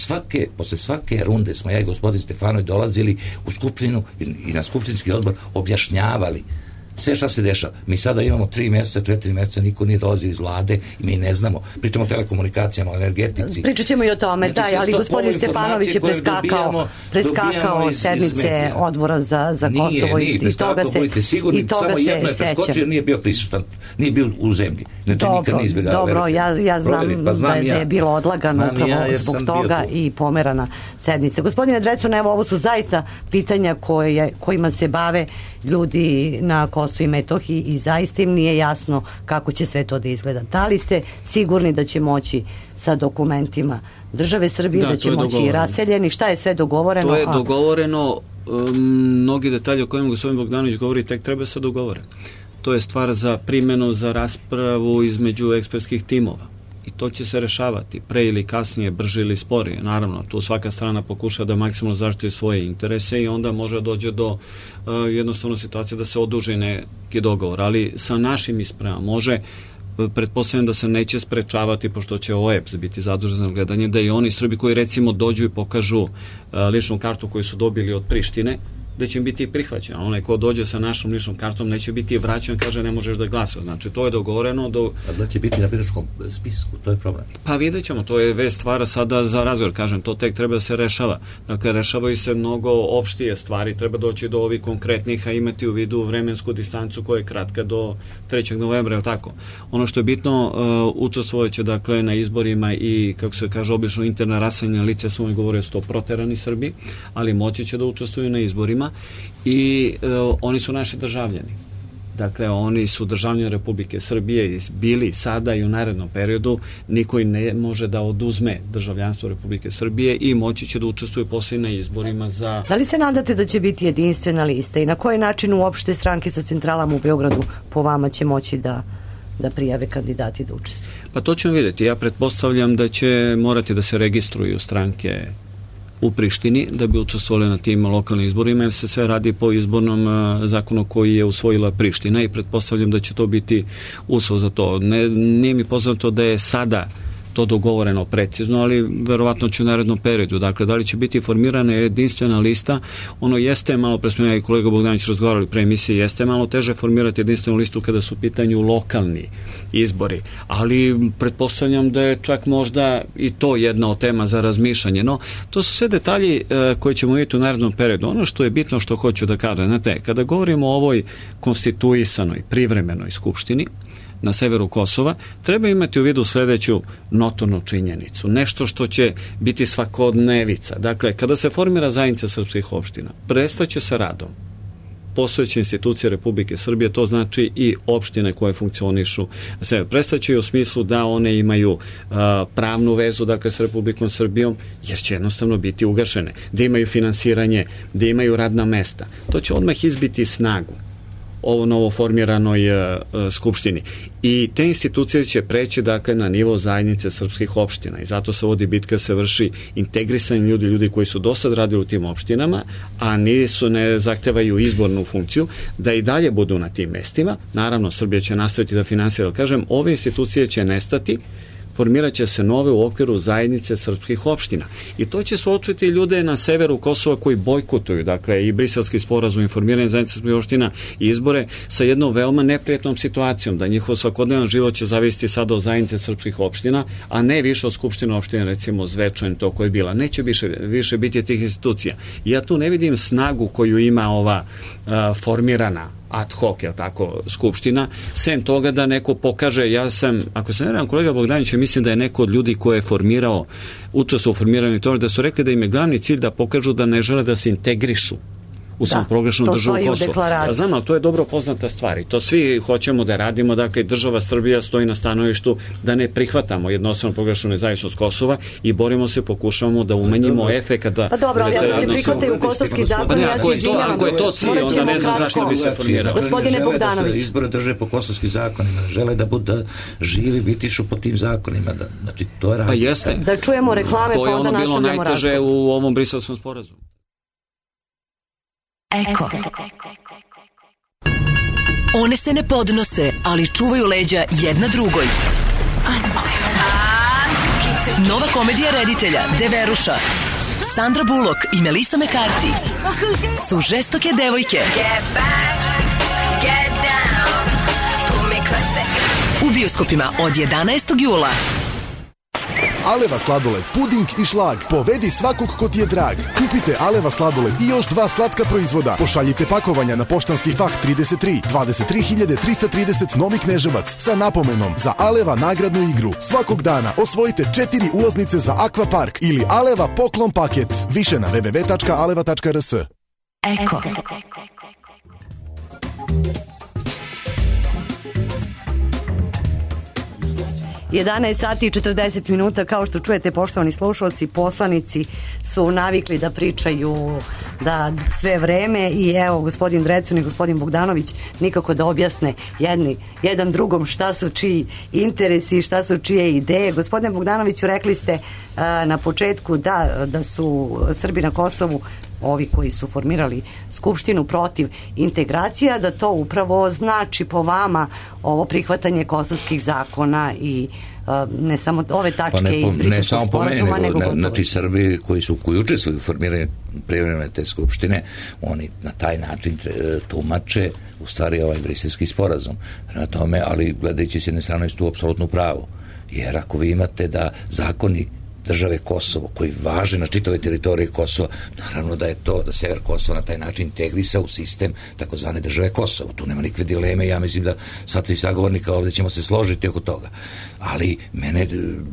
H: posle svake runde smo ja i gospodin Stefanović dolazili u Skupštinu i na Skupštinski odbor objašnjavali sve šta se dešava. Mi sada imamo 3 mjeseca, 4 mjeseca, niko nije dolazio iz vlade i mi ne znamo. Pričamo o telekomunikacijama, o energetici.
E: Pričat ćemo i o tome, znači, ali gospodin Stefanović je preskakao sednice odbora za Kosovo i toga se
H: sigurni, samo jedno je preskočio jer nije bio prisutan, nije bio u zemlji. Znači, nikad nije izbjegao.
E: Dobro, ja znam da je bilo odlagano upravo zbog toga i pomerana sednica. Gospodine Drecun, evo, ovo su zaista pitanja kojima se bave ljudi na Kosovo i Metohiji i zaista im nije jasno kako će sve to da izgleda. Da li ste sigurni da će moći sa dokumentima države Srbije, da će moći i raseljeni? Šta je sve dogovoreno?
G: To je dogovoreno, mnogi detalji o kojima gospodin Bogdanović govori tek treba se dogovore. To je stvar za primjenu, za raspravu između ekspertskih timova. I to će se rešavati pre ili kasnije, brže ili sporije. Naravno, tu svaka strana pokuša da maksimalno zaštiti svoje interese i onda može dođe do jednostavno situacije da se oduži neki dogovor. Ali sa našim ispravama može, pretpostavljam da se neće sprečavati, pošto će OEBS biti zadužen za gledanje, da i oni Srbi koji recimo dođu i pokažu ličnu kartu koju su dobili od Prištine, da će im biti prihvaćeno. Onaj ko dođe sa našom ličnom kartom neće biti vraćan, kaže ne možeš da glasa. Znači, to je dogovoreno.
H: A da će biti na biračkom spisku, to je problem.
G: Pa vidjet ćemo, to je već stvar sada za razgovor, kažem, to tek treba da se rešava. Dakle, rešavaju se mnogo opštije stvari, treba doći do ovih konkretnih, a imati u vidu vremensku distancu koja je kratka do 3. novembra, je tako? Ono što je bitno, učestvovaće, dakle, na izborima i, kako se kaže, obično interna raseljena lica, su oni govorio 100 proterani Srbi, ali moći će da učestvuju na izborima i oni su naši državljani. Dakle, oni su državljani Republike Srbije, bili sada i u narednom periodu, niko im ne može da oduzme državljanstvo Republike Srbije i moći će da učestvuju posle na izborima za...
E: Da li se nadate da će biti jedinstvena lista i na koji način uopšte stranke sa centralama u Beogradu po vama će moći da prijave kandidati da učestvuju?
G: Pa to ćemo vidjeti. Ja pretpostavljam da će morati da se registruju stranke u Prištini da bi učestvovali na tim lokalnim izborima, jer se sve radi po izbornom zakonu koji je usvojila Priština i pretpostavljam da će to biti uslov za to. Nije mi poznato da je sada to dogovoreno precizno, ali verovatno će u narednom periodu. Dakle, da li će biti formirana jedinstvena lista, ono jeste malo, pre smo ja i kolega Bogdanović razgovarali pre emisije, jeste malo teže formirati jedinstvenu listu kada su u pitanju lokalni izbori, ali pretpostavljam da je čak možda i to jedna od tema za razmišljanje. No, to su sve detalji koje ćemo vidjeti u narednom periodu. Ono što je bitno, što hoću da kažem, znate, kada govorimo o ovoj konstituisanoj, privremenoj skupštini na severu Kosova, treba imati u vidu sledeću notornu činjenicu. Nešto što će biti svakodnevica. Dakle, kada se formira zajednica srpskih opština, prestaće sa radom postojeće institucije Republike Srbije, to znači i opštine koje funkcionišu. Prestaće u smislu da one imaju pravnu vezu, dakle, s Republikom Srbijom, jer će jednostavno biti ugašene. Da imaju finansiranje, da imaju radna mesta. To će odmah izbiti snagu ovo novo formiranoj skupštini. I te institucije će preći, dakle, na nivo zajednice srpskih opština i zato se vodi bitka, se vrši integrisanje ljudi koji su do sad radili u tim opštinama, a ne zahtevaju izbornu funkciju, da i dalje budu na tim mestima. Naravno, Srbija će nastaviti da finansira, ali kažem, ove institucije će nestati, formirat će se nove u okviru zajednice srpskih opština. I to će suočiti ljude na severu Kosova koji bojkotuju, dakle, i briselski sporazum, informiranje zajednice srpskih opština i izbore sa jednom veoma neprijatnom situacijom, da njihov svakodnevan život će zavisiti sada od zajednice srpskih opština, a ne više od skupštine opštine, recimo Zvečan, to koje je bila. Neće više biti tih institucija. Ja tu ne vidim snagu koju ima ova formirana ad hoc, je tako, skupština, sem toga da neko pokaže, ja sam, ako se ne varam, kolega Bogdanović, mislim da je neko od ljudi koje je formirao, učestvovao u formiranju toga, da su rekli da im je glavni cilj da pokažu da ne žele da se integrišu u samoproglašenu državu Kosova. Znam, ali to je dobro poznata stvar i to svi hoćemo da radimo, dakle država Srbija stoji na stanovištu da ne prihvatamo jednostavno proglašenu nezavisnost Kosova i borimo se, pokušavamo da umanjimo efekat da...
E: Pa dobro, ali ako se prihvataju kosovski zakon, ja se izvinjavam.
G: Ako je to cilj, onda ne znam zašto bi se formirao.
E: Gospodine Bogdanović.
H: Da se izbore drže po kosovskim zakonima, žele da budu živi, bitišu po tim zakonima, znači to je razlika.
G: Pa jeste.
E: Da čujemo reklame, pa onda nastavljamo razgovor.
G: To je ono bilo najteže u ovom briselskom sporazumu.
J: Eko. One se ne podnose, ali čuvaju leđa jedna drugoj. Nova komedija reditelja Deveruša, Sandra Bullock i Melissa McCarthy su žestoke devojke. U bioskopima od 11. jula.
K: Aleva sladoled, puding i šlag. Povedi svakog ko ti je drag. Kupite Aleva sladoled i još 2 slatka proizvoda. Pošaljite pakovanja na poštanski fah 33 23330 Novi Kneževac sa napomenom za Aleva nagradnu igru. Svakog dana osvojite 4 ulaznice za Akvapark ili Aleva poklon paket. Više na www.aleva.rs.
J: Eko.
E: 11 sati i 40 minuta, kao što čujete, poštovani slušalci, poslanici su navikli da pričaju da sve vreme i evo gospodin Drecun i gospodin Bogdanović nikako da objasne jedan drugom šta su čiji interesi, šta su čije ideje. Gospodine Bogdanoviću, rekli ste na početku da su Srbi na Kosovu, ovi koji su formirali skupštinu, protiv integracija, da to upravo znači po vama ovo prihvatanje kosovskih zakona i ne samo ove tačke iz Briselskog sporazuma, nego
H: znači Srbi koji učestvuju u formiranju privremene te skupštine, oni na taj način tumače u stvari ovaj Briselski sporazum. Prema tome, ali gledajući s jedne strane su tu apsolutno pravo. Jer ako vi imate da zakoni države Kosovo, koji važe na čitavoj teritoriji Kosova, naravno da je to, da sever Kosova na taj način integrisa u sistem takozvane države Kosovo. Tu nema nikakve dileme, ja mislim da sva tri sagovornika ovdje ćemo se složiti oko toga. Ali mene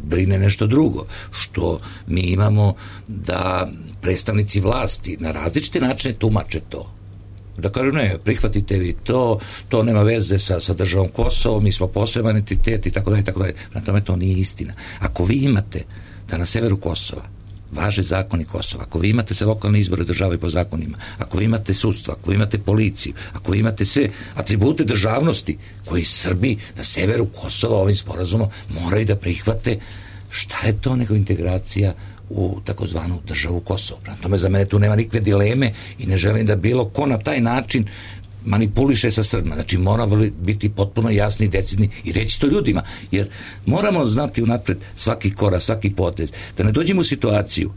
H: brine nešto drugo, što mi imamo da predstavnici vlasti na različite načine tumače to. Da kažu ne, prihvatite vi to nema veze sa državom Kosovo, mi smo poseban entitet i tako dalje, tako dalje. Na tome to nije istina. Ako vi imate da na severu Kosova važe zakoni Kosova, ako vi imate se lokalne izbore države po zakonima, ako vi imate sudstvo, ako vi imate policiju, ako vi imate sve atribute državnosti koji Srbi na severu Kosova ovim sporazumom moraju da prihvate, šta je to nego integracija u takozvanu državu Kosovo? Prema tome, za mene tu nema nikakve dileme i ne želim da bilo ko na taj način manipuliše sa Srbima. Znači mora biti potpuno jasni i decidni i reći to ljudima, jer moramo znati unapred svaki korak, svaki potez, da ne dođemo u situaciju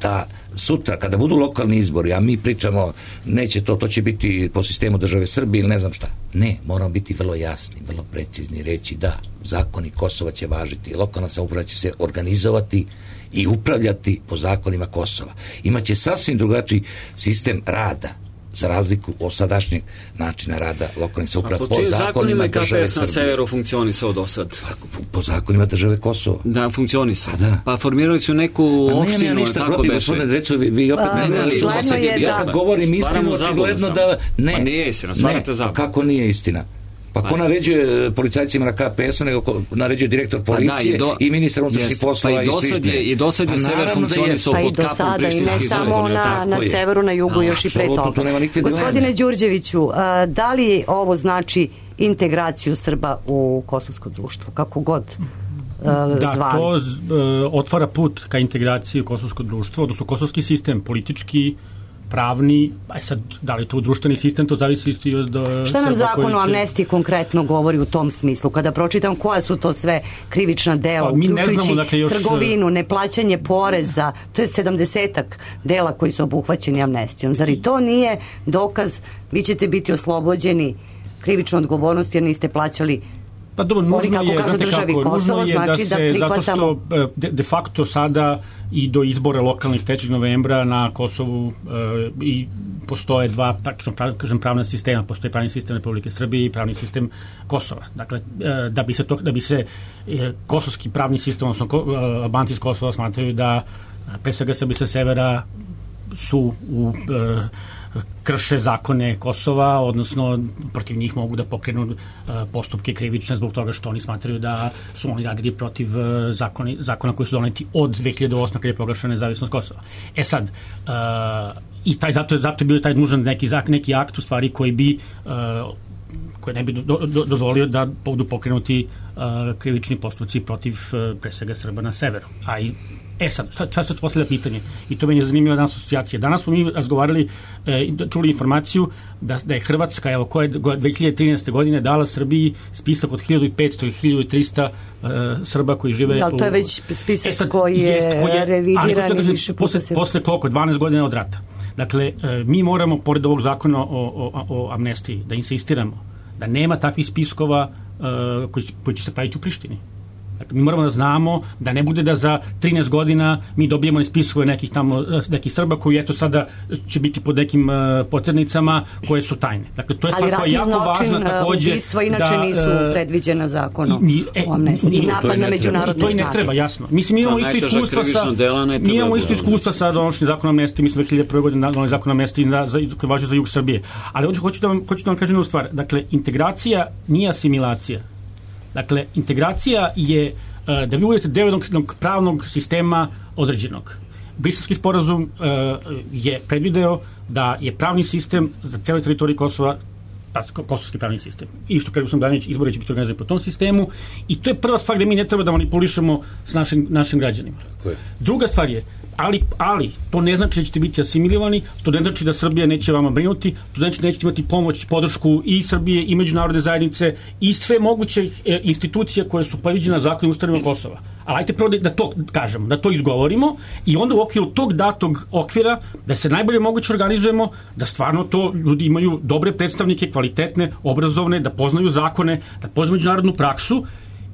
H: da sutra kada budu lokalni izbori, a mi pričamo neće to će biti po sistemu države Srbije ili ne znam šta. Ne, moramo biti vrlo jasni, vrlo precizni, reći da zakoni Kosova će važiti, lokalna samouprava će se organizovati i upravljati po zakonima Kosova. Imaće sasvim drugačiji sistem rada za razliku od sadašnjeg načina rada lokalnih samouprava po zakonima države Srbije.
G: Na severu funkcionisao do sad?
H: Po zakonima države Kosova.
G: Da, funkcionisao. Pa formirali su neku opštinu.
H: Nemam ništa protiv, gospodine Drecu, vi opet ja kad govorim istinu, očigledno da ne.
G: Pa nije istina, stvarate zabavno.
H: Kako nije istina? Pa ko naređuje policajcima na KPS-u, nego ko naređuje direktor policije i ministar unutrašnjih poslova iz Prištine.
G: I do sad je sever funkcionisao pod kapom prištinskih zakona.
E: I ne samo na severu, na jugu, još i pre toga. Gospodine Đurđeviću, da li ovo znači integraciju Srba u kosovsko društvo, kako god zvali?
I: Da, to otvara put ka integraciji u kosovsko društvo, odnosno kosovski sistem, politički, pravni, sad, da li to društveni sistem, to zavisi i od...
E: Šta nam zakon o amnestiji konkretno govori u tom smislu? Kada pročitam koja su to sve krivična dela, uključujući trgovinu, neplaćanje poreza, to je 70-ak dela koji su obuhvaćeni amnestijom. Zar i to nije dokaz, vi ćete biti oslobođeni krivične odgovornosti jer niste plaćali
I: Pa dobro, nužno je,
E: kažu državi Kosovo, znači da prihvatamo.
I: Zato što de facto sada i do izbora lokalnih 3. novembra na Kosovu i postoje dva, kažem, pravna sistema. Postoji pravni sistem Republike Srbije i pravni sistem Kosova. Dakle, da bi se kosovski pravni sistem, odnosno Albanci iz Kosova smatraju da pre svega Srbi sa severa su krše zakone Kosova, odnosno protiv njih mogu da pokrenu postupke krivične zbog toga što oni smatraju da su oni radili protiv zakona koji su doneti od 2008. kada je proglašena nezavisnost Kosova. Sad, i zato je bio taj nužan neki akt u stvari koji ne bi dozvolio da budu pokrenuti krivični postupci protiv pre svega Srba na severu. Sad, često se postavlja pitanje, i to meni je zanimljiva danas asocijacija. Danas smo mi razgovarali, čuli informaciju da je Hrvatska, koja je 2013. godine dala Srbiji spisak od 1500 i 1300 Srba koji žive...
E: Da li to je već spisak koji je revidiran i više puta se...
I: Posle koliko? 12 godina od rata. Dakle, mi moramo, pored ovog zakona o amnestiji, da insistiramo da nema takvih spiskova koji će se praviti u Prištini. Dakle, mi moramo da znamo da ne bude da za 13 godina mi dobijemo spiskove nekih Srba koji eto sada će biti pod nekim poternicama koje su tajne. Dakle, to je stvar koja je jako važna takođe.
E: Ubistva inače nisu predviđena zakonom o amnestiji. Napad na međunarodne snage.
I: To i ne treba, jasno. Mislim, mi imamo isto iskustva sa donošenjem zakona o amnestiji. Mi smo 2001. godine doneli zakon o amnestiji koji važi za jug Srbije. Ali hoću da vam kažem jednu stvar. Dakle, integracija nije asimilacija. Dakle, integracija je da vi budete deo jednog pravnog sistema određenog. Briselski sporazum je predvideo da je pravni sistem za cijelu teritoriju Kosova kosovski pravni sistem. I što kaže Danić, izbori će biti organizovani po tom sistemu i to je prva stvar gde mi ne treba da manipulišemo s našim građanima. Druga stvar je, ali to ne znači da ćete biti asimilirani, to ne znači da Srbija neće vama brinuti, to znači da nećete imati pomoć, podršku i Srbije i međunarodne zajednice i sve moguće institucije koje su predviđene zakonom ustavima Kosova. Ali ajte prvo da to kažemo, da to izgovorimo i onda u okviru tog datog okvira da se najbolje moguće organizujemo, da stvarno to ljudi imaju dobre predstavnike, kvalitetne, obrazovne, da poznaju zakone, da poznaju međunarodnu praksu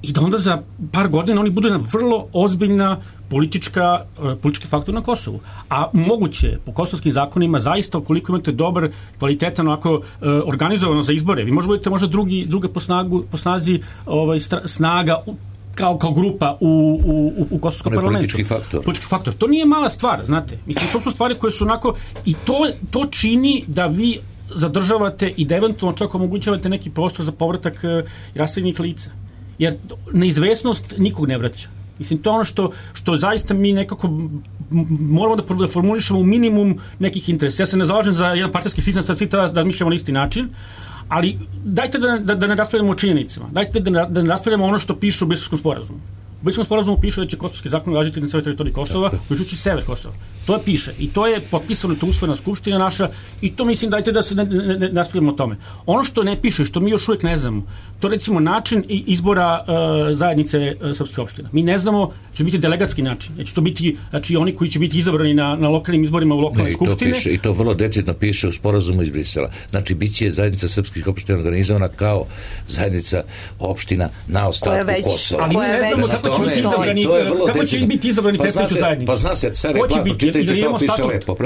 I: i da onda za par godina oni budu jedna vrlo ozbiljna politički faktor na Kosovu. A moguće, po kosovskim zakonima, zaista ukoliko imate dobar, kvalitetan, onako organizovano za izbore, vi budete možda druga po snazi snaga kao grupa u kosovskom parlamentu. Politički faktor. To nije mala stvar, znate. Mislim, to su stvari koje su onako i to čini da vi zadržavate i da eventualno čak omogućavate neki prostor za povratak raseljenih lica. Jer neizvesnost nikog ne vraća. Mislim, to je ono što zaista mi nekako moramo da formulišemo u minimum nekih interesa. Ja se ne zalažem za jedan partijski sistem, sad svi treba da razmišljamo na isti način, ali dajte da ne raspravljamo o činjenicama. Dajte da ne raspravljamo ono što piše u Briselskom sporazumu. U Briselskom sporazumu piše da će kosovski zakon važiti na celoj teritoriji Kosova, uključujući sever Kosova. To piše i to je potpisano, to usvojena skupština naša i to mislim dajte da se ne raspravljamo o tome. Ono što ne piše, što mi još uvijek ne znamo, to recimo način izbora zajednice srpskih opština. Mi ne znamo, će biti delegatski način. Će to biti, znači oni koji će biti izabrani na lokalnim izborima u lokalnoj skupštine.
H: I to vrlo decidno piše u sporazumu iz Brisela. Znači biće zajednica srpskih opština organizovana kao zajednica opština na ostatku Kosova.
I: Ali ne znamo kako će biti izabrani predstavnici zajednice.
H: Pa zna se, car je blatno, čitajte, to piše lepo.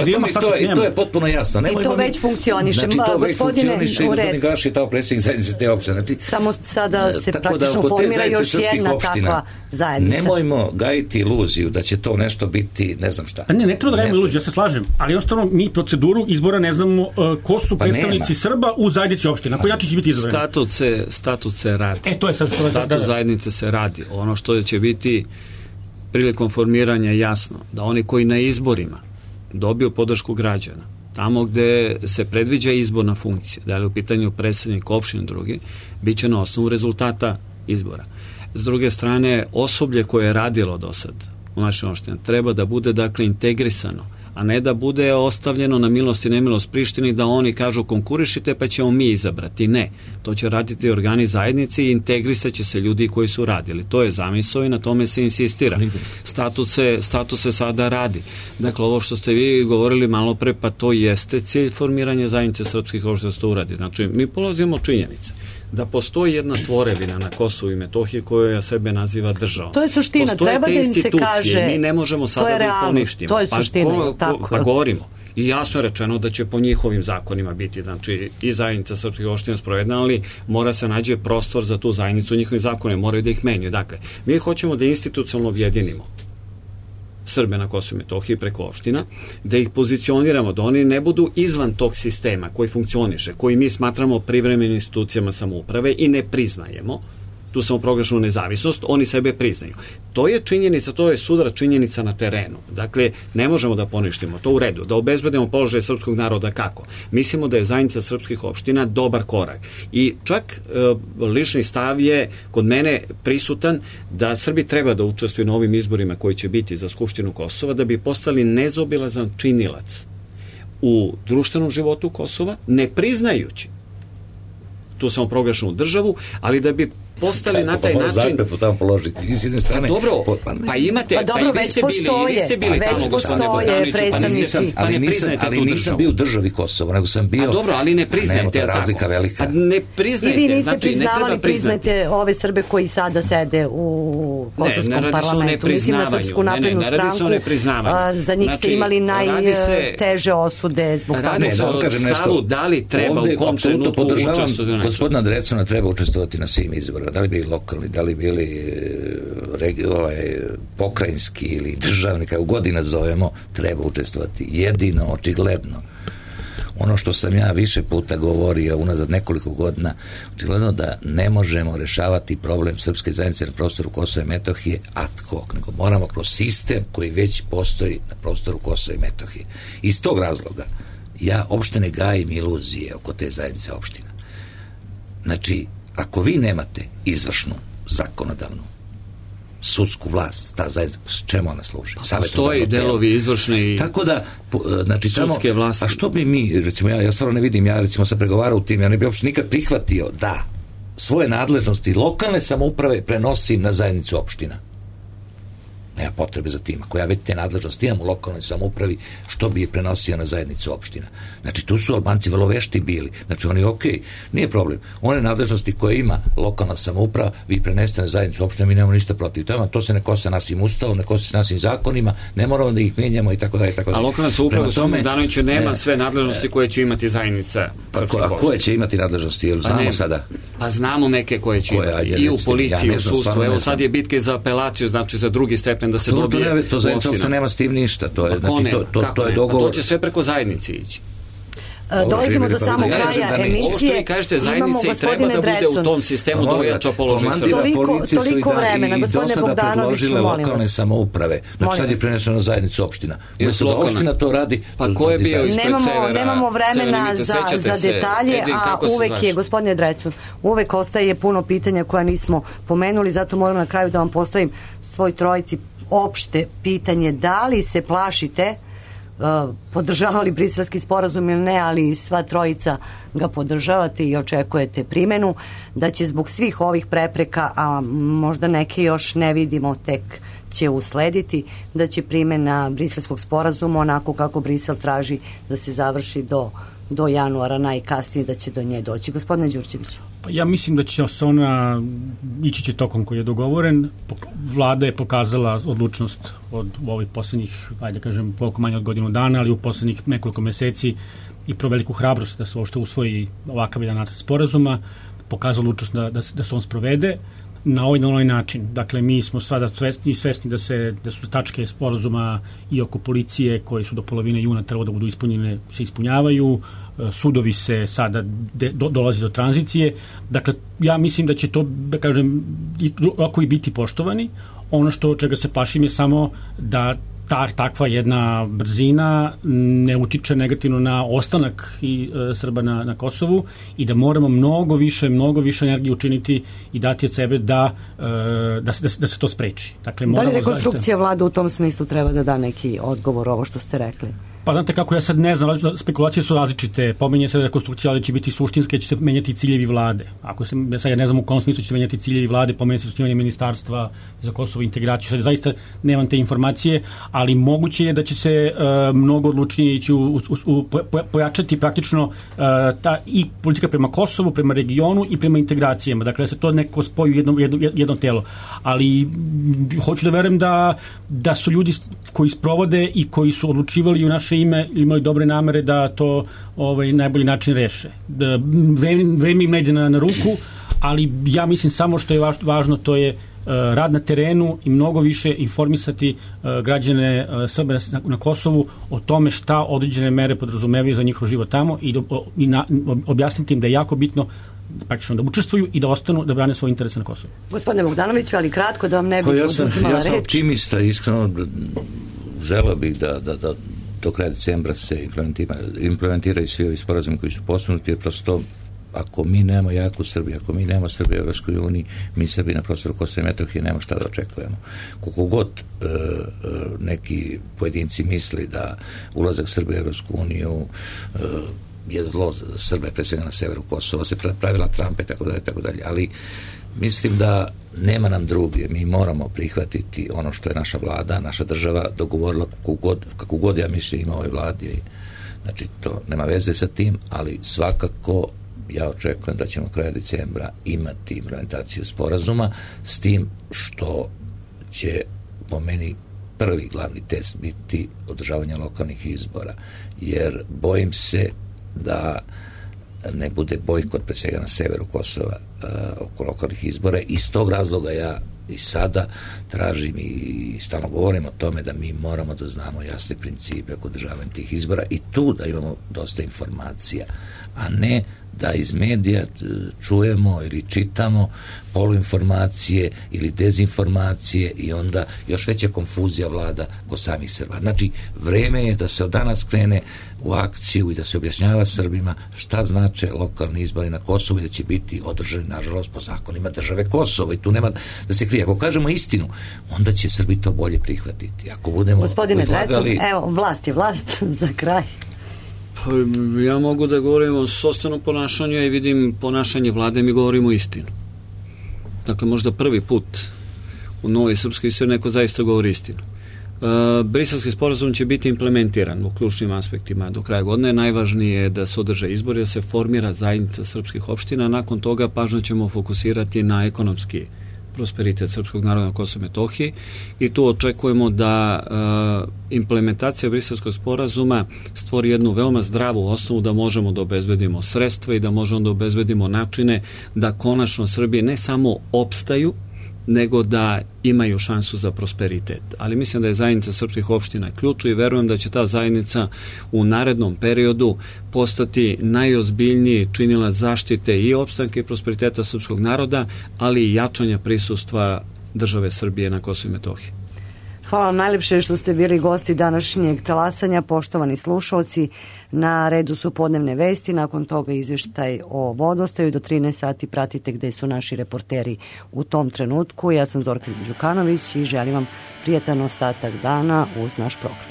H: I to je potpuno jasno.
E: I to već funkcioniše.
H: Znači to već funkcioniše i gospodin Gaš je tamo predsjednik zajednice te opštine.
E: Samo sada se praktično formira još jedna takva zajednica.
H: Nemojmo gajiti iluziju da će to nešto biti, ne znam šta.
I: Pa ne treba da gajimo iluziju, ja se slažem, ali jednostavno mi proceduru izbora ne znamo ko su predstavnici Srba u zajednici opštine. Na koji način će biti izabrani?
G: Statut se radi.
I: To je sad
G: statut zajednice se radi. Ono što će biti prilikom formiranja jasno, da oni koji na izborima dobiju podršku građana, tamo gde se predviđa izborna funkcija, da li u pitanju predstavnik opštine drugi, bit će na osnovu rezultata izbora. S druge strane, osoblje koje je radilo do sad u našoj opštini treba da bude dakle integrisano, a ne da bude ostavljeno na milost i nemilost Prištini da oni kažu konkurišite pa ćemo mi izabrati. Ne, to će raditi organi zajednice i integrisat će se ljudi koji su radili. To je zamisao i na tome se insistira. Status se sada radi. Dakle, ovo što ste vi govorili malo pre, pa to jeste cilj formiranja zajednice srpskih opština da se to uradi. Znači, mi polazimo od činjenice da postoji jedna tvorevina na Kosovu i Metohiji koja sebe naziva državom.
E: To je suština,
G: postoje
E: treba da im se kaže.
G: Mi ne možemo sada da ih poništimo.
E: To je suština, tako.
G: Pa govorimo. I jasno je rečeno da će po njihovim zakonima biti, znači i zajednica srpskih opština sprovedena, ali mora se nađe prostor za tu zajednicu u njihovim zakonima, moraju da ih menjaju. Dakle, mi hoćemo da institucionalno objedinimo Srbe na Kosovu i Metohiji preko opština, da ih pozicioniramo, da oni ne budu izvan tog sistema koji funkcioniše, koji mi smatramo privremenim institucijama samouprave i ne priznajemo, tu samo proglašenu nezavisnost, oni sebe priznaju. To je činjenica, to je sudara činjenica na terenu. Dakle, ne možemo da poništimo to u redu, da obezbedimo položaj srpskog naroda kako. Mislimo da je zajednica srpskih opština dobar korak. I čak lični stav je kod mene prisutan da Srbi treba da učestvuju na ovim izborima koji će biti za Skupštinu Kosova, da bi postali nezaobilazan činilac u društvenom životu Kosova, ne priznajući tu samo proglašenu državu, ali da bi postali na taj način.
H: Zakletvu tamo položiti. Vi s jedne strane.
G: Dobro, pa imate, pa i vi ste bili tamo, gospodine Bogdanoviću, pa ne priznajete tu državu.
H: Ali nisam bio u državi Kosova, nego sam bio.
G: A dobro, ali ne priznajete,
H: tako? Razlika velika.
G: A ne priznajete,
E: i vi niste
G: znači ne treba priznati.
E: Priznajte ove Srbe koji sada sede u kosovskom parlamentu. Mislim na Srpsku naprednu stranku. Za njih ste imali najteže osude zbog toga.
G: Radi se o stavu da li treba u kom trenutku učestvovati.
H: Gospodina Drecuna treba učestvovati na svim izborima. Da li bili lokalni, da li bili pokrajinski ili državni, kako god nazovemo, treba učestvovati. Jedino, očigledno, ono što sam ja više puta govorio unazad nekoliko godina, očigledno da ne možemo rešavati problem srpske zajednice na prostoru Kosova i Metohije ad hoc, nego moramo kroz sistem koji već postoji na prostoru Kosova i Metohije. Iz tog razloga ja uopšte ne gajim iluzije oko te zajednice opština. Znači, ako vi nemate izvršnu, zakonodavnu, sudsku vlast, ta zajednica, s čemu ona služi?
G: Postoji delovi izvršne i
H: tako da, znači,
G: sudske vlasti.
H: A što bi mi, recimo, ja stvarno ne vidim, ja recimo sam pregovarao u tim, ja ne bi uopšte nikad prihvatio da svoje nadležnosti lokalne samouprave prenosim na zajednicu opština. Nema potrebe za tim. Ako ja već te nadležnosti imam u lokalnoj samoupravi, što bi je prenosio na zajednicu opština? Znači, tu su Albanci vrlo vešti bili. Znači, oni, nije problem. One nadležnosti koje ima lokalna samouprava, vi prenesete na zajednicu opština, mi nemamo ništa protiv toga. To se ne kosi našim ustavom, ne kosi se našim zakonima, ne moramo da ih menjamo i tako dalje.
G: A lokalna samouprava, gospodine Bogdanoviću, nema sve nadležnosti koje će imati zajednica.
H: A koje će imati nadležnosti? Jel znamo sada?
G: Pa znamo neke koje će imati. I u policiji, u sudstvu. Evo sad je bitke za apelaciju, znači za drugi stepen da se dobije.
H: To zajednica uopšte nema s tim ništa. To je, znači, to je dogovor.
G: To će sve preko zajednice ići.
E: Dolazimo do samog kraja emisije.
G: Ovo što vi kažete, zajednica i treba da bude u tom sistemu da ojača položaj Srbije.
E: Toliko vremena, gospodine Bogdanoviću, molim vas.
H: Lokalne samouprave. Znači sad je preneseno na zajednicu opština. Umjesto da opština to radi.
G: Pa ko je bio ispred Severa?
E: Nemamo vremena za detalje, a uvek je, gospodine Drecun, uvek ostaje puno pitanja koja nismo pomenuli, zato moram na kraju da vam postavim svoj trojici opšte pitanje, da li se plašite, podržavali briselski sporazum ili ne, ali sva trojica ga podržavate i očekujete primenu, da će zbog svih ovih prepreka, a možda neke još ne vidimo, tek će uslediti, da će primena briselskog sporazuma onako kako Brisel traži da se završi do januara, najkasnije da će do nje doći. Gospodine Đurđeviću.
I: Ja mislim da će se ona ići će tokom koji je dogovoren. Vlada je pokazala odlučnost od ovih poslednjih, ajde kažem, koliko manje od godinu dana, ali u poslednjih nekoliko meseci i pro veliku hrabrost da se uopšte usvoji ovakav jedan nacrt sporazuma, pokazala odlučnost da se on sprovede na ovaj način. Dakle, mi smo sada svesni da su tačke sporazuma i oko policije koje su do polovine juna trebalo da budu ispunjene, se ispunjavaju, sudovi se sada dolazi do tranzicije. Dakle, ja mislim da će to, da kažem, ako i biti poštovani. Ono čega se plašim je samo da takva jedna brzina ne utiče negativno na ostanak Srba na Kosovu i da moramo mnogo više energije učiniti i dati od sebe da se to spreči. Dakle,
E: da li rekonstrukcija vlade u tom smislu treba da da neki odgovor ovo što ste rekli?
I: Pa znate kako, ja sad ne znam, spekulacije su različite, pominje se rekonstrukcija, ali će biti suštinske, će se menjati ciljevi vlade. Ako se, sad ja ne znam u kom smislu će se menjati ciljevi vlade, pominje se osnivanje ministarstva za Kosovo i integraciju, sad zaista nemam te informacije, ali moguće je da će se mnogo odlučnije ići pojačati praktično i politika prema Kosovu, prema regionu i prema integracijama, dakle da se to neko spoji u jedno telo. Ali hoću da verujem da su ljudi koji sprovode i koji su odlučivali u naše ime imali dobre namere da to najbolji način reše. Vreme im ne ide na ruku, ali ja mislim samo što je važno to je rad na terenu i mnogo više informisati građane Srbe na Kosovu o tome šta određene mere podrazumevaju za njihov život tamo i objasniti im da je jako bitno praktično da učestvuju i da ostanu da brane svoje interese na Kosovu.
E: Gospodine Bogdanoviću, ali kratko da vam ne bih oduzimala reč.
H: Ja sam optimista, iskreno želeo bih da do kraja decembra se implementiraju svi ovi sporazumi koji su postignuti, jer prosto ako mi nemamo jaku Srbiju, ako mi nemamo Srbiju u Evropskoj uniji, mi Srbi na prostoru Kosova i Metohije nemamo šta da očekujemo. Koliko god neki pojedinci misli da ulazak Srbije u Evropsku uniju je zlo Srbe, pre svega na severu Kosova, se pravila Trumpa i tako dalje, ali mislim da nema nam druge, mi moramo prihvatiti ono što je naša vlada, naša država dogovorila kako god ja mislim ima ovoj vladi, znači to nema veze sa tim, ali svakako ja očekujem da ćemo kraja decembra imati implementaciju sporazuma, s tim što će po meni prvi glavni test biti održavanje lokalnih izbora, jer bojim se da ne bude bojkot pre svega na severu Kosova oko lokalnih izbora. Iz tog razloga ja i sada tražim i stalno govorim o tome da mi moramo da znamo jasne principe oko održavanja tih izbora i tu da imamo dosta informacija, a ne da iz medija čujemo ili čitamo poluinformacije ili dezinformacije i onda još veća konfuzija vlada kod samih Srba. Znači, vreme je da se od danas krene u akciju i da se objašnjava Srbima šta znače lokalni izbori na Kosovu i da će biti održani, nažalost, po zakonima države Kosovo i tu nema da se krije. Ako kažemo istinu, onda će Srbi to bolje prihvatiti. Ako budemo
E: Gospodine Drecun, evo, vlast je vlast za kraj.
G: Ja mogu da govorim o sopstvenom ponašanju i vidim ponašanje vlade, mi govorimo istinu. Dakle, možda prvi put u novoj srpskoj istoriji neko zaista govori istinu. Briselski sporazum će biti implementiran u ključnim aspektima do kraja godine. Najvažnije je da se održe izbori, da se formira zajednica srpskih opština. Nakon toga pažnju ćemo fokusirati na ekonomski prosperitet srpskog naroda na Kosovu i Metohiji i tu očekujemo da implementacija Briselskog sporazuma stvori jednu veoma zdravu osnovu da možemo da obezbedimo sredstva i da možemo da obezbedimo načine da konačno Srbije ne samo opstaju, nego da imaju šansu za prosperitet. Ali mislim da je zajednica srpskih opština ključ i verujem da će ta zajednica u narednom periodu postati najozbiljniji činilac zaštite i opstanke i prosperiteta srpskog naroda, ali i jačanja prisustva države Srbije na Kosovu i Metohiji.
E: Hvala vam najlepše što ste bili gosti današnjeg talasanja, poštovani slušalci. Na redu su podnevne vesti, nakon toga izveštaj o vodostaju. Do 13 sati pratite gde su naši reporteri u tom trenutku. Ja sam Zorka Đukanović i želim vam prijatan ostatak dana uz naš program.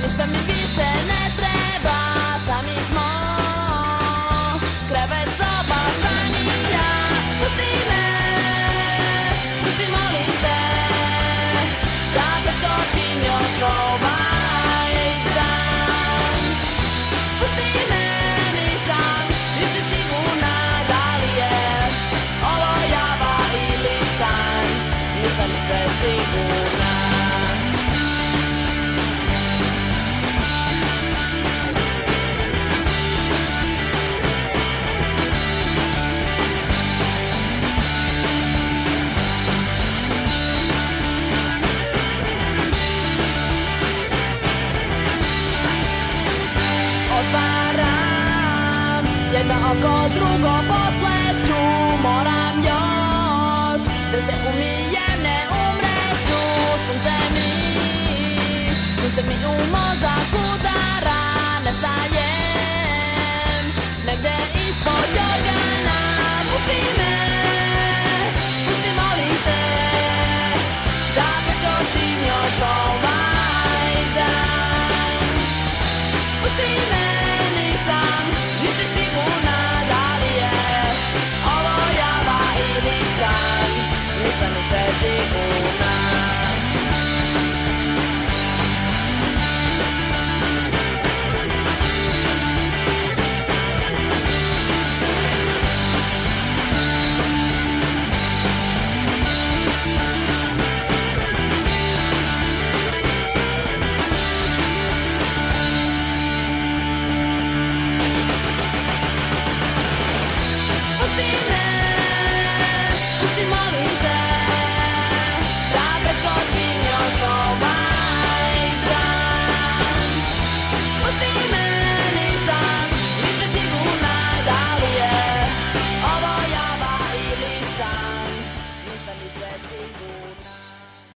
L: Ništa mi više ne onda oko drugo posle ću, moram još da se umirim.